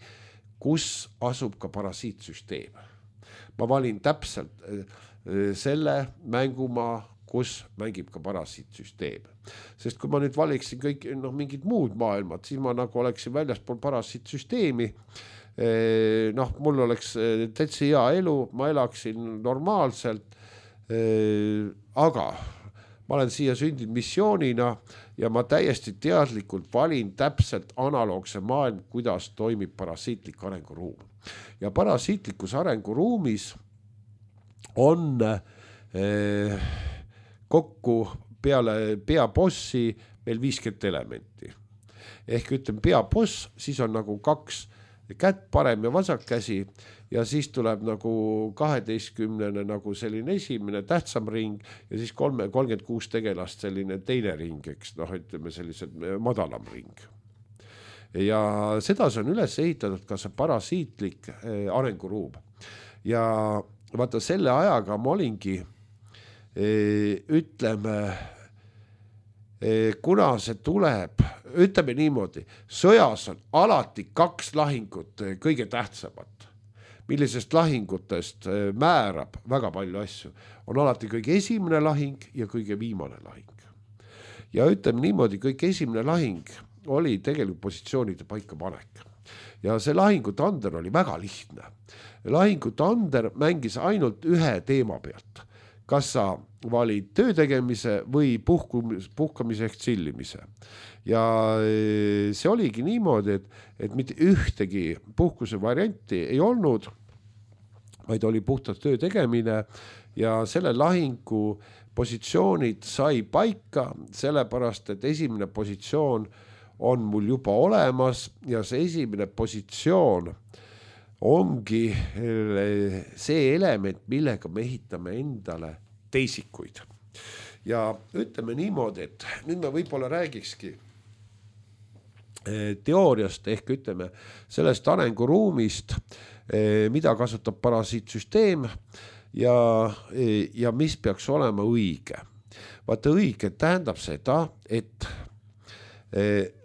kus asub ka parasiitsüsteem. Ma valin täpselt selle mängumaa, kus mängib ka parasiitsüsteem. Sest kui ma nüüd valiksin kõik no, mingid muud maailmad, siis ma nagu oleksin väljaspool parasiitsüsteemi, noh, mul oleks täitsa hea elu, ma elaksin normaalselt, aga ma olen siia sündinud missioonina ja ma täiesti teadlikult valin täpselt analoogse maailm, kuidas toimib parasiitlik arenguruum. Ja parasiitlikus arenguruumis on eh, kokku peale peabossi meil viiskümmend elementi. Ehk ütleme peaboss, siis on nagu kaks kätt, parem ja vasak käsi ja siis tuleb nagu kaheteistkümnene nagu selline esimene tähtsam ring ja siis kolme, kolmkümmend kuus tegelast selline teine ring, eks noh, ütleme sellised madalam ring. Ja seda see on üles ehitatud ka see parasiitlik arenguruum. Ja vaata selle ajaga ma olingi, ütleme, kuna see tuleb, ütleme niimoodi, sõjas on alati kaks lahingut kõige tähtsamat, millisest lahingutest määrab väga palju asju. On alati kõige esimene lahing ja kõige viimane lahing. Ja ütleme niimoodi, kõige esimene lahing oli tegelikult positsioonide paika panek. Ja see lahingutander oli väga lihtne. Lahingutander mängis ainult ühe teema pealt. Kas sa valid töö tegemise või puhkumis, puhkamise ehk tsillimise. Ja see oligi niimoodi, et, et mitte ühtegi puhkuse varianti ei olnud, vaid oli puhtalt töö tegemine ja selle lahingu positsioonid sai paika, sellepärast, et esimene positsioon on mul juba olemas ja see esimene positsioon ongi see element, millega me ehitame endale teisikuid. Ja ütleme niimoodi, et nüüd me võib-olla räägikski teooriast ehk ütleme sellest arenguruumist, mida kasutab parasiitsüsteem ja, ja mis peaks olema õige. Vaata õige tähendab seda, et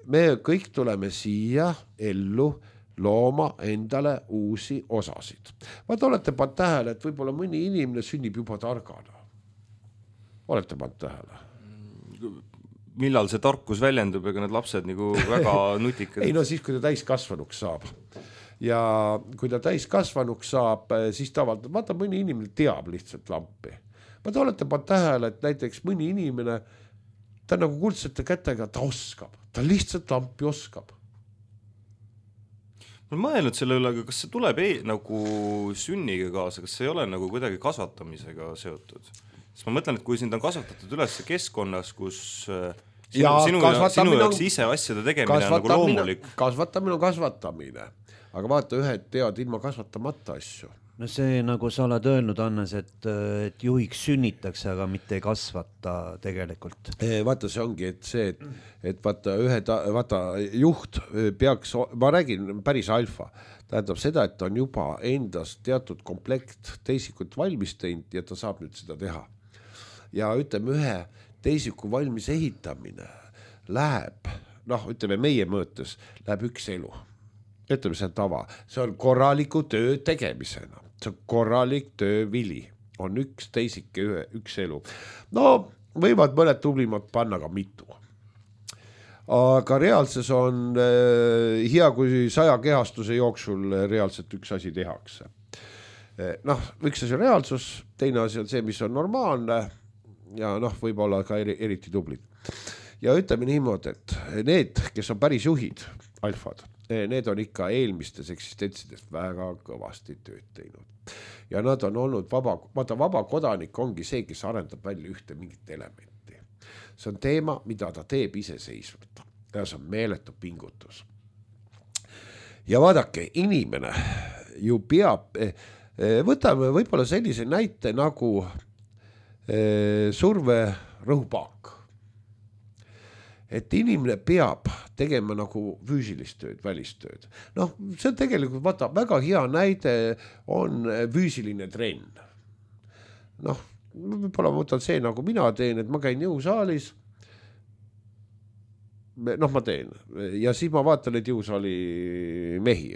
me kõik tuleme siia ellu looma endale uusi osasid. Vaata, olete pannud tähele, et võib-olla mõni inimene sünnib juba targana. Olete pannud tähele? Millal see tarkus väljendub, ega need lapsed nagu väga nutikad? Ei no siis, kui ta täiskasvanuks saab. Ja kui ta täiskasvanuks saab, siis tavalt, vaata, mõni inimene teab lihtsalt lampi. Vaata, olete pannud tähele, et näiteks mõni inimene, ta nagu kuldsete kätega, ta oskab. Ta lihtsalt lampi oskab. Ma olen mõelnud selle üle, aga kas see tuleb ei, nagu sünniga kaasa, kas see ei ole nagu kuidagi kasvatamisega seotud? Sest ma mõtlen, et kui sind on kasvatatud üles keskkonnas, kus sinu, ja, sinu, sinu jaoks ise asjade tegemine on nagu loomulik. Kasvatamine on kasvatamine, aga vaata, ühed teavad ilma kasvatamata asju. No see, nagu sa oled öelnud, Annes, et, et juhiks sünnitakse, aga mitte ei kasvata tegelikult. Vaata, see ongi, et see, et, et vaata, ühe ta, vaata, juht peaks, ma räägin päris alfa, tähendab seda, et on juba endas teatud komplekt teisikut valmis teinud ja ta saab nüüd seda teha. Ja ütleme, ühe teisiku valmis ehitamine läheb, noh, ütleme meie mõõtes, läheb üks elu. Ütleme, see on tava. See on korraliku töö tegemisena. See on korralik töö vili. On üks teisike, üks elu. No, võivad mõned tublimad panna ka mitu. Aga reaalses on eh, hea, kui saja kehastuse jooksul reaalselt üks asi tehakse. Eh, noh, üks asi on reaalsus, teine asi on see, mis on normaalne ja noh, võib olla ka eri, eriti tublid. Ja ütleme niimoodi, et need, kes on päris juhid, alfad, need on ikka eelmistes eksistentsides väga kõvasti tööd teinud. Ja nad on olnud vaba, vaata vaba kodanik ongi see, kes arendab välja ühte mingit elementi. See on teema, mida ta teeb iseseisvalt. Ja see on meeletu pingutus. Ja vaadake, inimene ju peab, võtame võib-olla sellise näite nagu surve rõhupaak. Et inimene peab tegema nagu füüsilist tööd, välistööd. Noh, see on tegelikult, vaata, väga hea näide on füüsiline trenn. Noh, võib-olla ma võtan see, nagu mina teen, et ma käin jõusaalis, noh, ma teen, ja siis ma vaatan neid jõusaali mehi.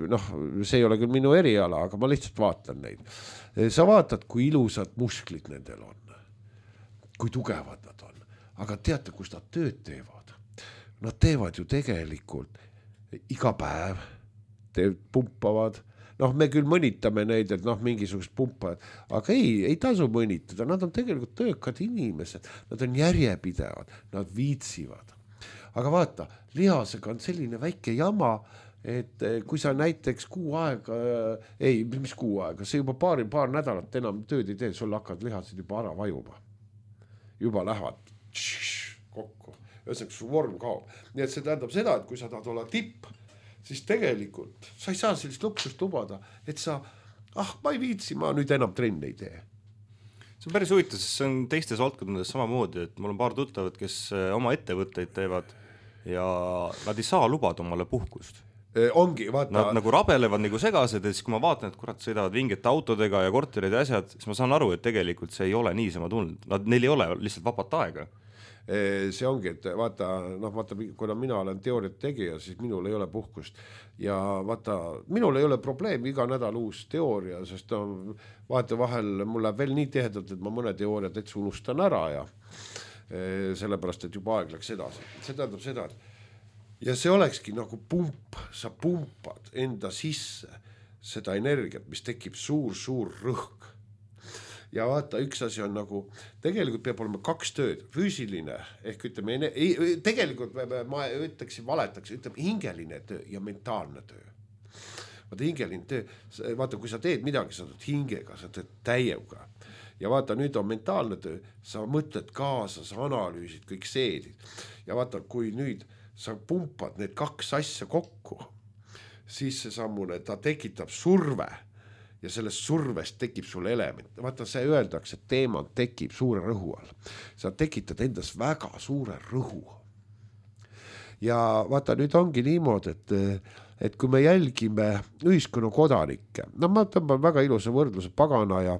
Noh, see ei ole küll minu eriala, aga ma lihtsalt vaatan neid. Sa vaatad, kui ilusad musklid nendel on, kui tugevad nad on. Aga teate, kus nad tööd teevad? Nad teevad ju tegelikult iga päev, teevad, pumpavad. Noh, me küll mõnitame neid, et noh, mingisugust pumpajad, aga ei, ei tasu mõnitada. Nad on tegelikult töökad inimesed, nad on järjepidevad, nad viitsivad. Aga vaata, lihasega on selline väike jama, et kui sa näiteks kuu aega, ei, mis kuu aega, see juba paari, paar nädalat enam tööd ei tee, sul hakkad lihased juba ära vajuma. Juba lähevad kokku. Ühesõnaga, su vorm kaob. Nii et see tähendab seda, et kui sa tahad olla tipp, siis tegelikult sa ei saa sellist luksust lubada, et sa, ah, ma ei viitsi, ma nüüd enam trenni ei tee. See on päris huvitav, sest see on teistes valdkondades samamoodi, et mul on paar tuttavad, kes oma ettevõtteid teevad ja nad ei saa lubada omale puhkust. E, ongi, vaata. Nad nagu rabelevad nagu segased ja siis kui ma vaatan, et kurat sõidavad vingete autodega ja korterid ja asjad, siis ma saan aru, et tegelikult see ei ole niisama tulnud. Nad, neil ei ole lihtsalt vabat aega. See ongi, et vaata, noh, vaata, kuna mina olen teooriat tegija, siis minul ei ole puhkust ja vaata, minul ei ole probleem iga nädal uus teooria, sest no, vaata vahel mul läheb veel nii tihedalt, et ma mõne teooria täitsa unustan ära ja sellepärast, et juba aeg läks edasi. See tähendab seda, et ja see olekski nagu pump, sa pumpad enda sisse seda energiat, mis tekib suur-suur rõhk. Ja vaata, üks asi on nagu, tegelikult peab olema kaks tööd, füüsiline, ehk ütleme, tegelikult ma ütleksin, valetaks, ütleme hingeline töö ja mentaalne töö. Vaata hingeline töö, vaata kui sa teed midagi, sa teed hingega, sa teed täiega. Ja vaata nüüd on mentaalne töö, sa mõtled kaasa, sa analüüsid, kõik seedid. Ja vaata, kui nüüd sa pumpad need kaks asja kokku, siis see sammune, ta tekitab surve. Ja sellest survest tekib sul element. Vaata, see öeldakse, et teema tekib suure rõhu all. Sa tekitad endas väga suure rõhu. Ja vaata, nüüd ongi niimoodi, et, et kui me jälgime ühiskonna kodanikke, no ma tõmban väga ilusa võrdluse pagana ja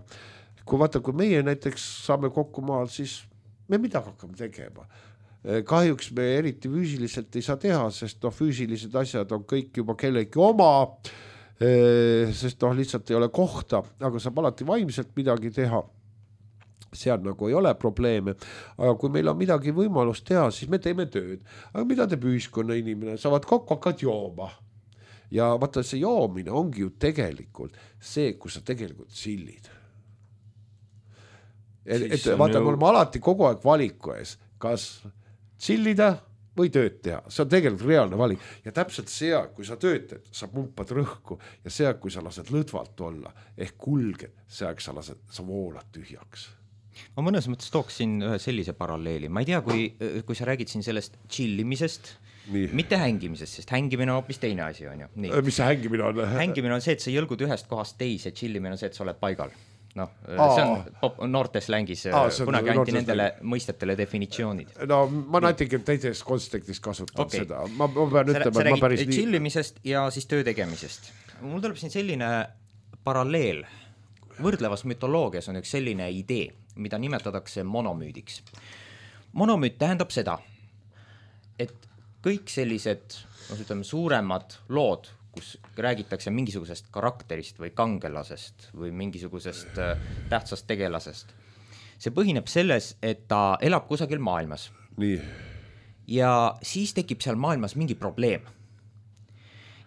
kui vaata, kui meie näiteks saame kokku maal, siis me midagi hakkame tegema. Kahjuks me eriti füüsiliselt ei saa teha, sest no, füüsilised asjad on kõik juba kellegi oma, sest noh, lihtsalt ei ole kohta, aga saab alati vaimselt midagi teha, seal nagu ei ole probleeme, aga kui meil on midagi võimalust teha, siis me teeme tööd, aga mida teeb ühiskonna inimene, saavad kokku, hakkad jooma ja vaata, see joomine ongi ju tegelikult see, kus sa tegelikult sillid et, et vaata, me oleme alati kogu aeg valiku ees, kas sillida või tööd teha, see on tegelikult reaalne valik ja täpselt see aeg, kui sa töötad, sa pumpad rõhku ja see aeg, kui sa lased lõdvalt olla ehk kulged, see aeg sa lased, sa voolad tühjaks. Ma mõnes mõttes tooksin ühe sellise paralleeli, ma ei tea, kui, kui sa räägid siin sellest chillimisest, nii. Mitte hängimisest, sest hängimine on hoopis teine asi on ju. Nii. Mis see hängimine on? Hängimine on see, et sa jõlgud ühest kohast teise, chillimine on see, et sa oled paigal. No, see on pop, noortes längis, kunagi anti nendele längis. Mõistetele definitsioonid. No ma natuke teises kontekstis kasutan okay. seda. Ma, ma pean sa, ütlema, sa et ma päris nii... chillimisest ja siis töö tegemisest. Mul tuleb siin selline paralleel. Võrdlevas mütoloogias on üks selline idee, mida nimetatakse monomüüdiks. Monomüüt tähendab seda, et kõik sellised no, ütleme, suuremad lood, kus räägitakse mingisugusest karakterist või kangelasest või mingisugusest äh, tähtsast tegelasest. See põhineb selles, et ta elab kusagil maailmas. Nii. Ja siis tekib seal maailmas mingi probleem.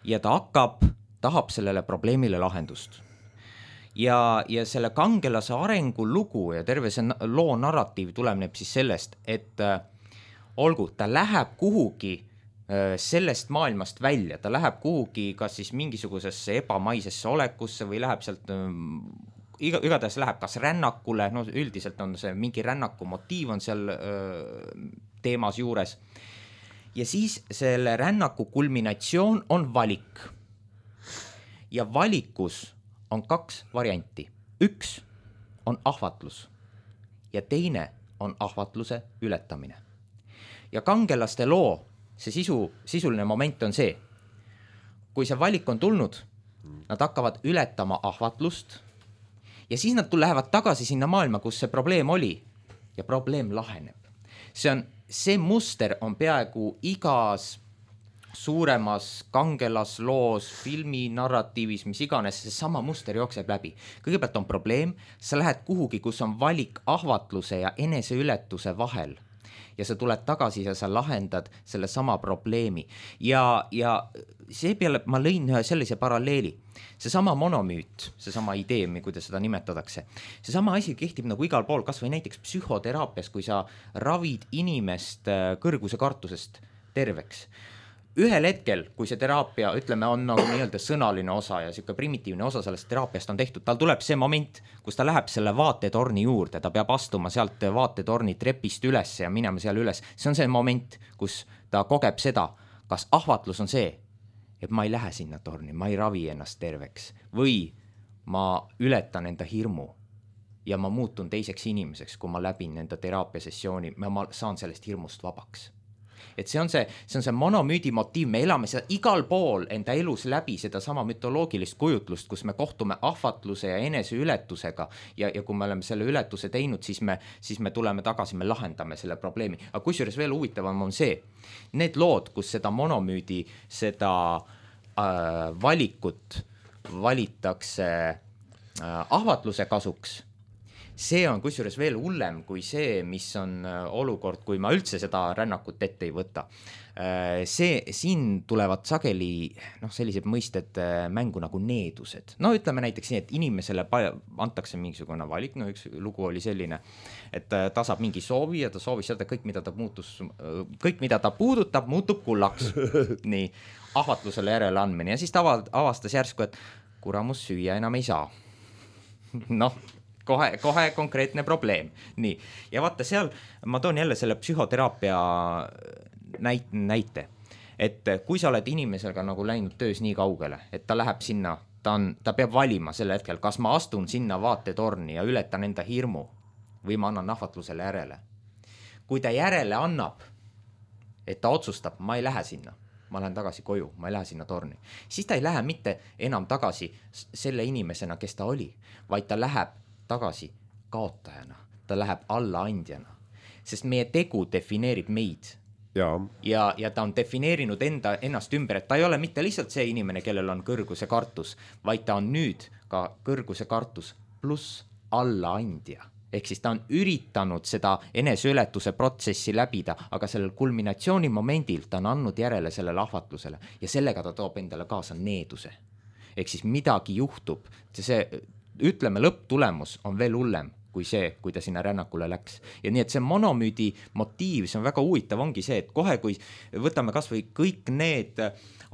Ja ta hakkab, tahab sellele probleemile lahendust. Ja, ja selle kangelase arengu lugu ja terve see loo narratiiv tuleneb siis sellest, et äh, olgu, ta läheb kuhugi sellest maailmast välja, ta läheb kuhugi kas siis mingisugusesse ebamaisesse olekusse või läheb sealt, iga, igatahes läheb kas rännakule, no üldiselt on see mingi rännaku motiiv on seal öö, teemas juures ja siis selle rännaku kulminatsioon on valik ja valikus on kaks varianti, üks on ahvatlus ja teine on ahvatluse ületamine ja kangelaste loo see sisu, sisuline moment on see, kui see valik on tulnud, nad hakkavad ületama ahvatlust ja siis nad lähevad tagasi sinna maailma, kus see probleem oli ja probleem laheneb. See on, see muster on peaaegu igas suuremas kangelasloos, filmi, narratiivis, mis iganes, see sama muster jookseb läbi. Kõigepealt on probleem, sa lähed kuhugi, kus on valik ahvatluse ja eneseületuse vahel. Ja sa tuled tagasi ja sa lahendad selle sama probleemi. Ja, ja see peale ma lõin ühe sellise paralleeli. See sama monomüüt, see sama idee, kuidas seda nimetatakse. See sama asi kehtib nagu igal pool, kas või näiteks psühhoteraapias, kui sa ravid inimest kõrguse kartusest terveks. Ühel hetkel, kui see teraapia, ütleme, on nagu nii-öelda sõnaline osa ja siuke primitiivne osa sellest teraapiast on tehtud, tal tuleb see moment, kus ta läheb selle vaatetorni juurde, ta peab astuma sealt vaatetorni trepist üles ja minema seal üles. See on see moment, kus ta kogeb seda, kas ahvatlus on see, et ma ei lähe sinna torni, ma ei ravi ennast terveks või ma ületan enda hirmu ja ma muutun teiseks inimeseks, kui ma läbin enda teraapiasessiooni, ma saan sellest hirmust vabaks. Et see on see, see on see monomüüdi motiiv, me elame seda igal pool enda elus läbi seda sama mütoloogilist kujutlust, kus me kohtume ahvatluse ja eneseületusega ja, ja kui me oleme selle ületuse teinud, siis me, siis me tuleme tagasi, me lahendame selle probleemi. Aga kusjuures veel huvitavam on see, need lood, kus seda monomüüdi, seda äh, valikut valitakse äh, ahvatluse kasuks, see on kusjuures veel hullem kui see, mis on olukord, kui ma üldse seda rännakut ette ei võta. See, siin tulevad sageli noh, sellised mõisted mängu nagu needused. No ütleme näiteks nii, et inimesele antakse mingisugune valik, no üks lugu oli selline, et ta saab mingi soovi ja ta soovis seda kõik, mida ta muutus, kõik, mida ta puudutab, muutub kullaks. Nii, ahvatlusele järele andmine ja siis ta avastas järsku, et kuramus süüa enam ei saa. Noh, Kohe, kohe konkreetne probleem. Nii. Ja vaata seal, ma toon jälle selle psühhoteraapia näit, näite, et kui sa oled inimesega nagu läinud töös nii kaugele, et ta läheb sinna, ta, on, ta peab valima selle hetkel, kas ma astun sinna vaatetorni ja ületan enda hirmu või ma annan ahvatlusele järele. Kui ta järele annab, et ta otsustab, ma ei lähe sinna, ma lähen tagasi koju, ma ei lähe sinna torni, siis ta ei lähe mitte enam tagasi selle inimesena, kes ta oli, vaid ta läheb tagasi kaotajana, ta läheb allaandjana, sest meie tegu defineerib meid ja, ja, ja ta on defineerinud enda, ennast ümber, et ta ei ole mitte lihtsalt see inimene, kellel on kõrguse kartus, vaid ta on nüüd ka kõrguse kartus pluss allaandja. Ehk siis ta on üritanud seda eneseületuse protsessi läbida, aga sellel kulminatsiooni momendil ta on andnud järele sellele ahvatlusele ja sellega ta toob endale kaasa needuse. Ehk siis midagi juhtub, see ütleme, lõpptulemus on veel hullem kui see, kui ta sinna rännakule läks. Ja nii, et see monomüüdi motiiv, see on väga huvitav, ongi see, et kohe, kui võtame kas või kõik need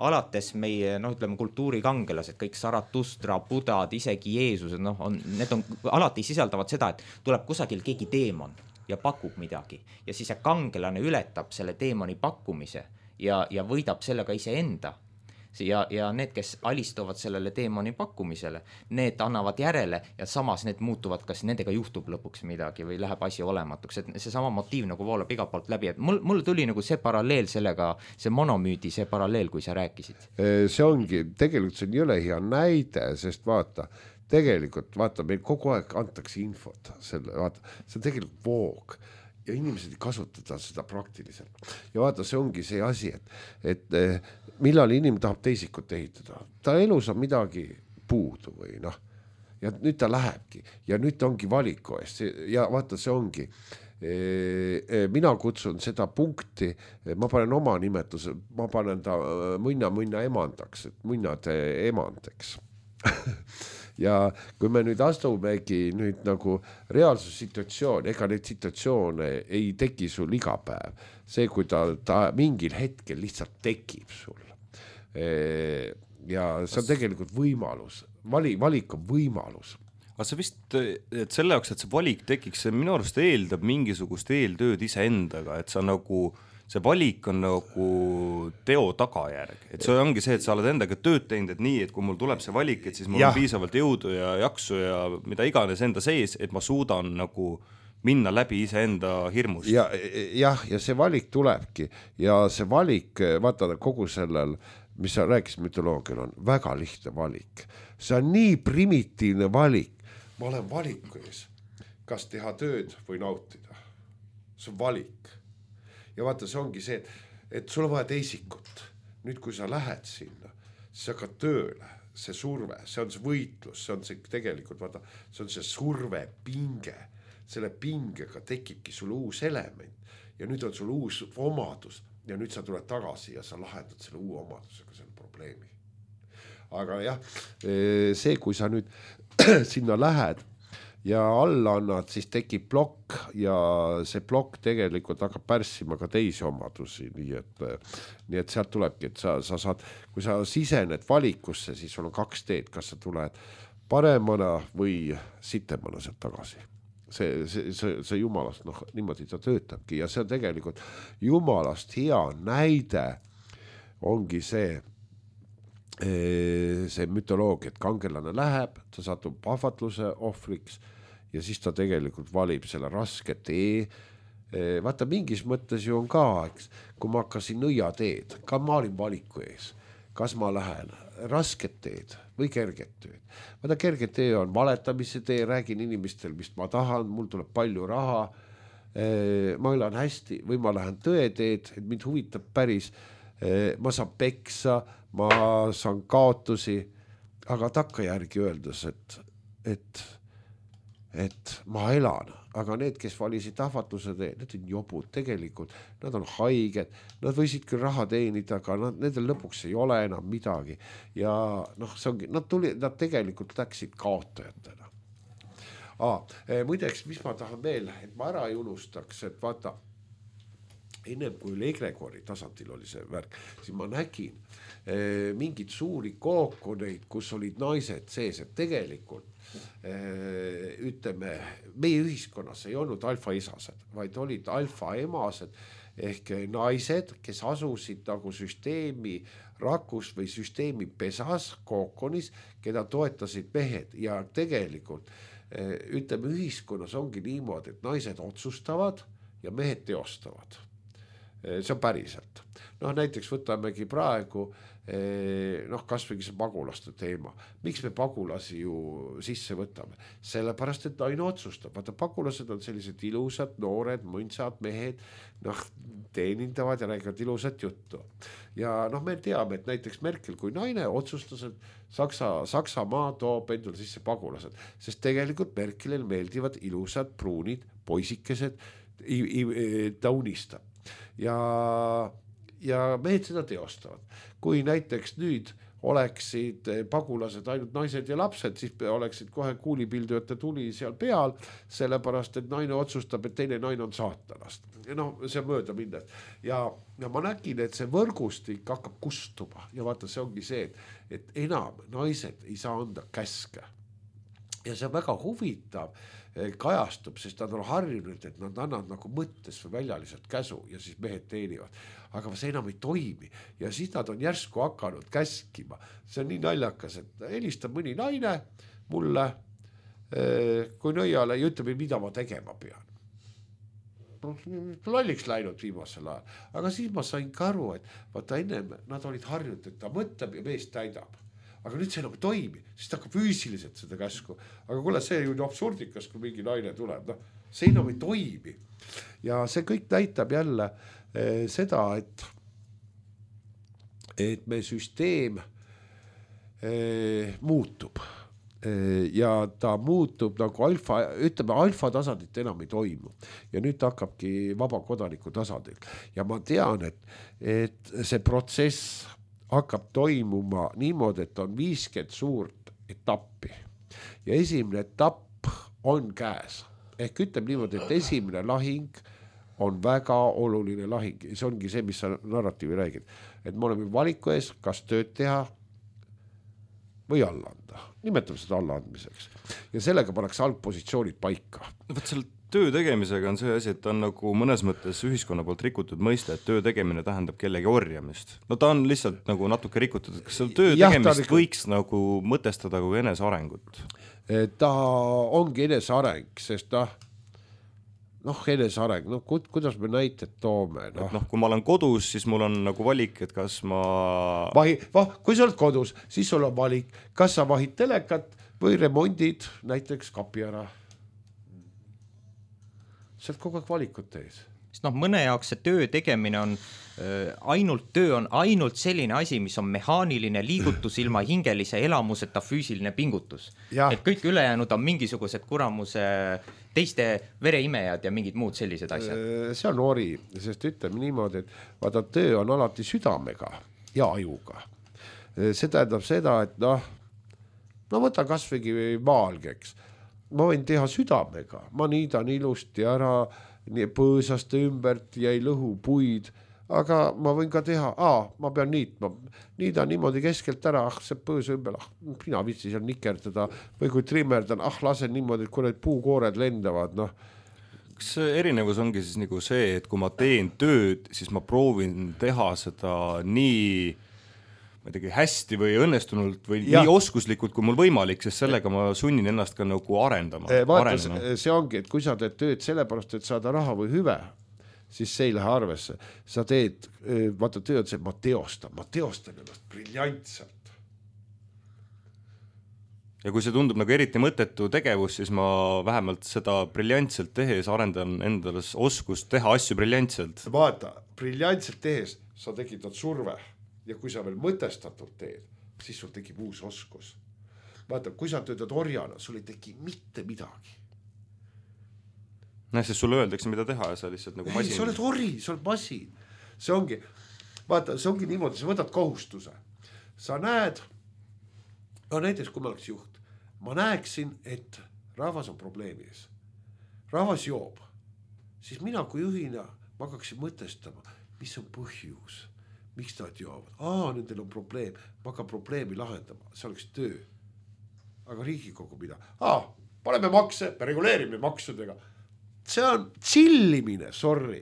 alates meie, noh, ütleme, kultuurikangelased, kõik Zarathustra, Budad, isegi Jeesused, noh, on, need on, alati sisaldavad seda, et tuleb kusagil keegi teemon ja pakub midagi. Ja siis see kangelane ületab selle teemoni pakkumise ja, ja võidab sellega iseenda. Ja, ja need, kes alistuvad sellele teemoni pakkumisele, need annavad järele ja samas need muutuvad, kas nendega juhtub lõpuks midagi või läheb asi olematuks, et see sama motiiv nagu voolab iga poolt läbi, et mul, mul tuli nagu see paralleel sellega, see monomüüdi, see paralleel, kui sa rääkisid. See ongi, tegelikult see on jõle hea näide, sest vaata, tegelikult vaata, meil kogu aeg antakse infot, selle, vaata, see on tegelikult voog ja inimesed ei kasutada seda praktiliselt. Ja vaata, see ongi see asi, et, et millal inimene tahab teisikut ehitada. Ta elus on midagi puudu või noh. Ja nüüd ta lähebki ja nüüd ta ongi valiku eest. Ja vaata, see ongi. Mina kutsun seda punkti, ma panen oma nimetuse, ma panen ta munna-munna emandaks, et munnade emandeks. Ja kui me nüüd astumegi nüüd nagu reaalsus situatsioon, ega neid situatsioone ei teki sul iga päev. See, kui ta, ta mingil hetkel lihtsalt tekib sul. Ja see on tegelikult võimalus. Vali, valik on võimalus. Aga see vist, et selle jaoks, et see valik tekiks, see minu arust eeldab mingisugust eeltööd ise endaga, et sa nagu see valik on nagu teo tagajärg, et see ongi see, et sa oled endaga tööd teinud, et nii, et kui mul tuleb see valik, et siis mul ja. on piisavalt jõudu ja jaksu ja mida iganes enda sees, et ma suudan nagu minna läbi ise enda hirmust. Ja, jah, ja see valik tulebki ja see valik, vaata kogu sellel, mis sa rääkisid mütoloogial, on väga lihtne valik. See on nii primitiivne valik. Ma olen valiku ees, kas teha tööd või nautida. See on valik. Ja vaata, see ongi see, et, et sul on vaja teisikut. Nüüd, kui sa lähed sinna, siis hakkad tööle, see surve, see on see võitlus, see on see tegelikult, vaata, see on see surve, pinge. Selle pingega tekibki sul uus element ja nüüd on sul uus omadus ja nüüd sa tuled tagasi ja sa lahendad selle uue omadusega selle probleemi. Aga jah, see, kui sa nüüd sinna lähed, ja alla annad, siis tekib plokk ja see plokk tegelikult hakkab pärssima ka teisi omadusi, nii et, nii et sealt tulebki, et sa, sa saad, kui sa sisened valikusse, siis sul on kaks teed, kas sa tuled paremana või sitemana sealt tagasi. See, see, see, see jumalast, noh, niimoodi ta töötabki ja see on tegelikult jumalast hea näide ongi see, see mütoloogia, et kangelane läheb, ta satub ahvatluse ohvriks ja siis ta tegelikult valib selle raske tee. Vaata, mingis mõttes ju on ka, eks, kui ma hakkasin nõiateed, ka ma olin valiku ees, kas ma lähen rasket teed või kerget teed. Vaata, kerget tee on valetamise tee, räägin inimestel, mis ma tahan, mul tuleb palju raha, ma elan hästi või ma lähen tõeteed, et mind huvitab päris, ma saan peksa, ma saan kaotusi, aga takkajärgi öeldes, et, et, et ma elan, aga need, kes valisid ahvatluse tee, need on jobud tegelikult, nad on haiged, nad võisid küll raha teenida, aga nad, nendel lõpuks ei ole enam midagi ja noh, see ongi, nad tuli, nad tegelikult läksid kaotajatena. Ah, muideks, mis ma tahan veel, et ma ära ei unustaks, et vaata, ennem kui Egregori tasandil oli see värk, siis ma nägin eh, mingid suuri kookoneid, kus olid naised sees, et tegelikult eh, ütleme, meie ühiskonnas ei olnud alfaisased, vaid olid alfaemased ehk naised, kes asusid nagu süsteemi rakus või süsteemi pesas kookonis, keda toetasid mehed ja tegelikult eh, ütleme, ühiskonnas ongi niimoodi, et naised otsustavad ja mehed teostavad. See on päriselt. Noh, näiteks võtamegi praegu, noh, kas võigi see pagulaste teema. Miks me pagulasi ju sisse võtame? Sellepärast, et naine otsustab. Vaata, pagulased on sellised ilusad, noored, mõnsad mehed, noh, teenindavad ja räägivad ilusat juttu. Ja noh, me teame, et näiteks Merkel kui naine otsustas, et Saksa, Saksamaa toob endale sisse pagulased, sest tegelikult Merkelil meeldivad ilusad, pruunid, poisikesed, ta unistab. Ja, ja mehed seda teostavad. Kui näiteks nüüd oleksid pagulased ainult naised ja lapsed, siis oleksid kohe kuulipildujate tuli seal peal, sellepärast, et naine otsustab, et teine naine on saatanast. No, see on mööda minnes. Ja, ja ma nägin, et see võrgustik hakkab kustuma ja vaata, see ongi see, et, et enam naised ei saa anda käske. Ja see on väga huvitav kajastub, sest nad on harjunud, et nad annavad nagu mõttes või väljaliselt käsu ja siis mehed teenivad. Aga see enam ei toimi ja siis nad on järsku hakanud käskima. See on nii naljakas, et helistab mõni naine mulle kui nõiale ja ütleb, mida ma tegema pean. Lolliks läinud viimasel ajal. Aga siis ma sain ka aru, et vaata ennem nad olid harjunud, et ta mõtleb ja mees täidab. Aga nüüd see enam ei toimi, siis ta hakkab füüsiliselt seda käsku. Aga kuule, see ju absurdikas, kui mingi naine tuleb. No, see enam ei toimi. Ja see kõik näitab jälle eh, seda, et, et meie süsteem eh, muutub. Eh, ja ta muutub nagu alfa, ütleme, alfa tasandit enam ei toimu. Ja nüüd ta hakkabki vaba kodaniku tasandil. Ja ma tean, et, et see protsess hakkab toimuma niimoodi, et on viiskümmend suurt etappi ja esimene etapp on käes. Ehk ütleb niimoodi, et esimene lahing on väga oluline lahing. See ongi see, mis sa narratiivi räägid. Et me oleme valiku ees, kas tööd teha või alla anda. Nimetame seda alla andmiseks. Ja sellega pannakse algpositsioonid paika. Võt selle töö tegemisega on see asi, et ta on nagu mõnes mõttes ühiskonna poolt rikutud mõiste, et töö tegemine tähendab kellegi orjamist. No ta on lihtsalt nagu natuke rikutud. Kas selle töö ja, tegemist ta... võiks nagu mõtestada kui enesearengut? Ta ongi eneseareng, sest ta noh, eneseareng, noh, kuidas me näited toome? No. noh, kui ma olen kodus, siis mul on nagu valik, et kas ma... Vahi, va, kui sa oled kodus, siis sul on valik, kas sa vahid telekat või remondid näiteks kapi ära. See on kogu aeg valikut ees. Sest noh, mõne jaoks see töö tegemine on äh, ainult töö on ainult selline asi, mis on mehaaniline liigutus ilma hingelise elamuseta füüsiline pingutus. Ja. Et kõik ülejäänud on mingisugused kuramuse teiste vereimejad ja mingid muud sellised asjad. See on ori, sest ütleme niimoodi, et vaata, töö on alati südamega ja ajuga. See tähendab seda, et noh, no võta kasvõigi maalgeks. Ma võin teha südamega, ma niidan ilusti ära, nii põõsaste ümbert ja ei lõhu puid, aga ma võin ka teha, aa, ma pean niitma, niidan niimoodi keskelt ära, ah, see põõsa ümber, ah, mina vitsi seal nikerdada, või kui trimmerdan, ah, lasen niimoodi, et kui need puukoored lendavad, noh. Kas erinevus ongi siis nagu see, et kui ma teen tööd, siis ma proovin teha seda nii ma ei tegi hästi või õnnestunult või Ja. nii oskuslikult kui mul võimalik, sest sellega ma sunnin ennast ka nagu arendama. Vaata, see ongi, et kui sa teed tööd sellepärast, et saada raha või hüve, siis see ei lähe arvesse. Sa teed, vaata töö on see, ma teostan, ma teostan ennast briljantselt. Ja kui see tundub nagu eriti mõttetu tegevus, siis ma vähemalt seda briljantselt tehes arendan endale oskust teha asju briljantselt. Vaata, briljantselt tehes sa tekitad surve ja kui sa veel mõtestatult teed, siis sul tekib uus oskus. Vaata, kui sa töötad orjana, sul ei teki mitte midagi. Näe, sest sulle öeldakse, mida teha ja sa lihtsalt nagu masin. Ei, sa oled ori, sa oled masin. See ongi, vaata, see ongi niimoodi, sa võtad kohustuse. Sa näed, no näiteks kui ma oleks juht, ma näeksin, et rahvas on probleemis. Rahvas joob. Siis mina kui juhina, ma hakkaksin mõtestama, mis on põhjus. Miks nad joovad? Aa, nendel on probleem. Ma hakkan probleemi lahendama. See oleks töö. Aga Riigikogu mida? Aa, paneme makse, me reguleerime maksudega. See on chillimine, sorry.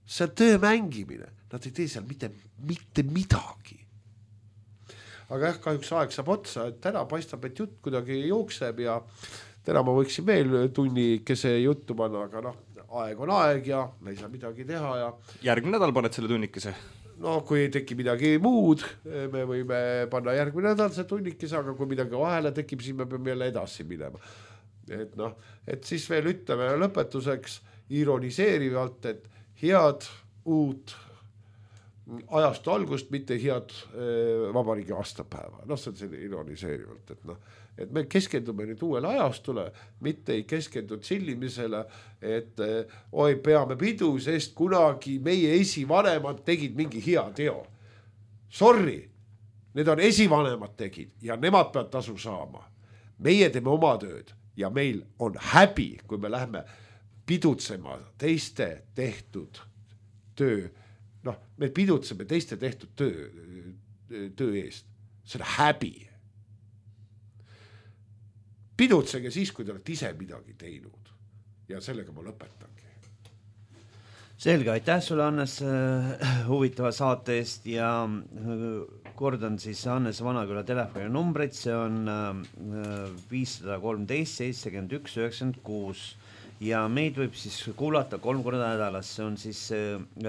See on töö mängimine. Nad ei tee seal mitte, mitte midagi. Aga jah, kahjuks aeg saab otsa, et täna paistab, et jutt kuidagi jookseb ja täna ma võiksin veel tunni kese juttu panna, aga noh, aeg on aeg ja me ei saa midagi teha ja järgmine nädal paned selle tunnikese? No kui ei teki midagi muud, me võime panna järgmine nädal see tunnikese, aga kui midagi vahele tekib, siis me peame jälle edasi minema. Et noh, et siis veel ütleme lõpetuseks ironiseerivalt, et head uut ajastu algust, mitte head vabariigi aastapäeva. Noh, see on selline ironiseerivalt, et noh, et me keskendume nüüd uuele ajastule, mitte ei keskendu chillimisele, et oi, peame pidu, sest kunagi meie esivanemad tegid mingi hea teo. Sorry, need on esivanemad tegid ja nemad peavad tasu saama. Meie teeme oma tööd ja meil on häbi, kui me lähme pidutsema teiste tehtud töö. Noh, me pidutseme teiste tehtud töö, töö eest. See on häbi. Pidutsege siis, kui te olete ise midagi teinud. Ja sellega ma lõpetangi. Selge, aitäh sulle, Hannes, huvitava saate eest ja kordan siis Hannes Vanaküla telefoni numbrit, see on viis kolmteist seitsekümmend üks üheksakümmend kuus ja meid võib siis kuulata kolm korda nädalas, see on siis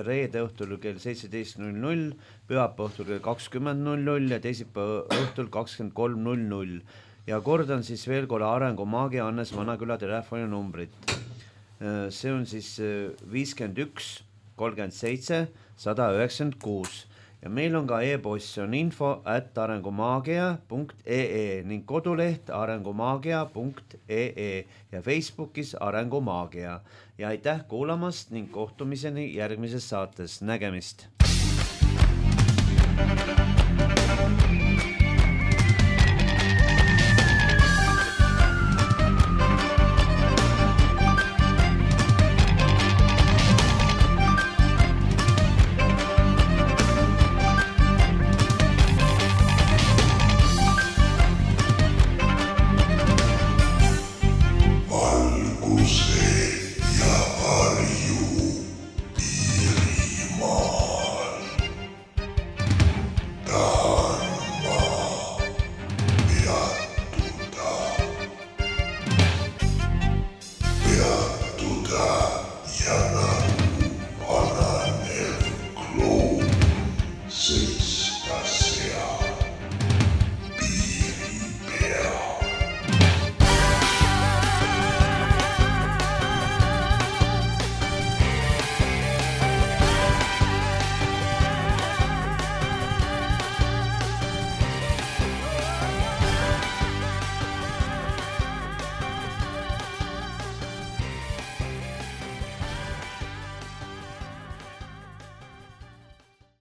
reede õhtul kell seitseteist null null, pühapäeva õhtul kell kakskümmend null null ja teisipäeva õhtul kakskümmend kolm null null ja kordan siis veel korra Arengumaagia Hannes Vanaküla telefoni numbrit. See on siis viiskümmend üks kolmkümmend seitse sada üheksakümmend kuus ja meil on ka e-post, see on info at arengumaagia punkt ee ning koduleht arengumaagia punkt ee ja Facebookis Arengumaagia ja aitäh kuulamast ning kohtumiseni järgmises saates, nägemist.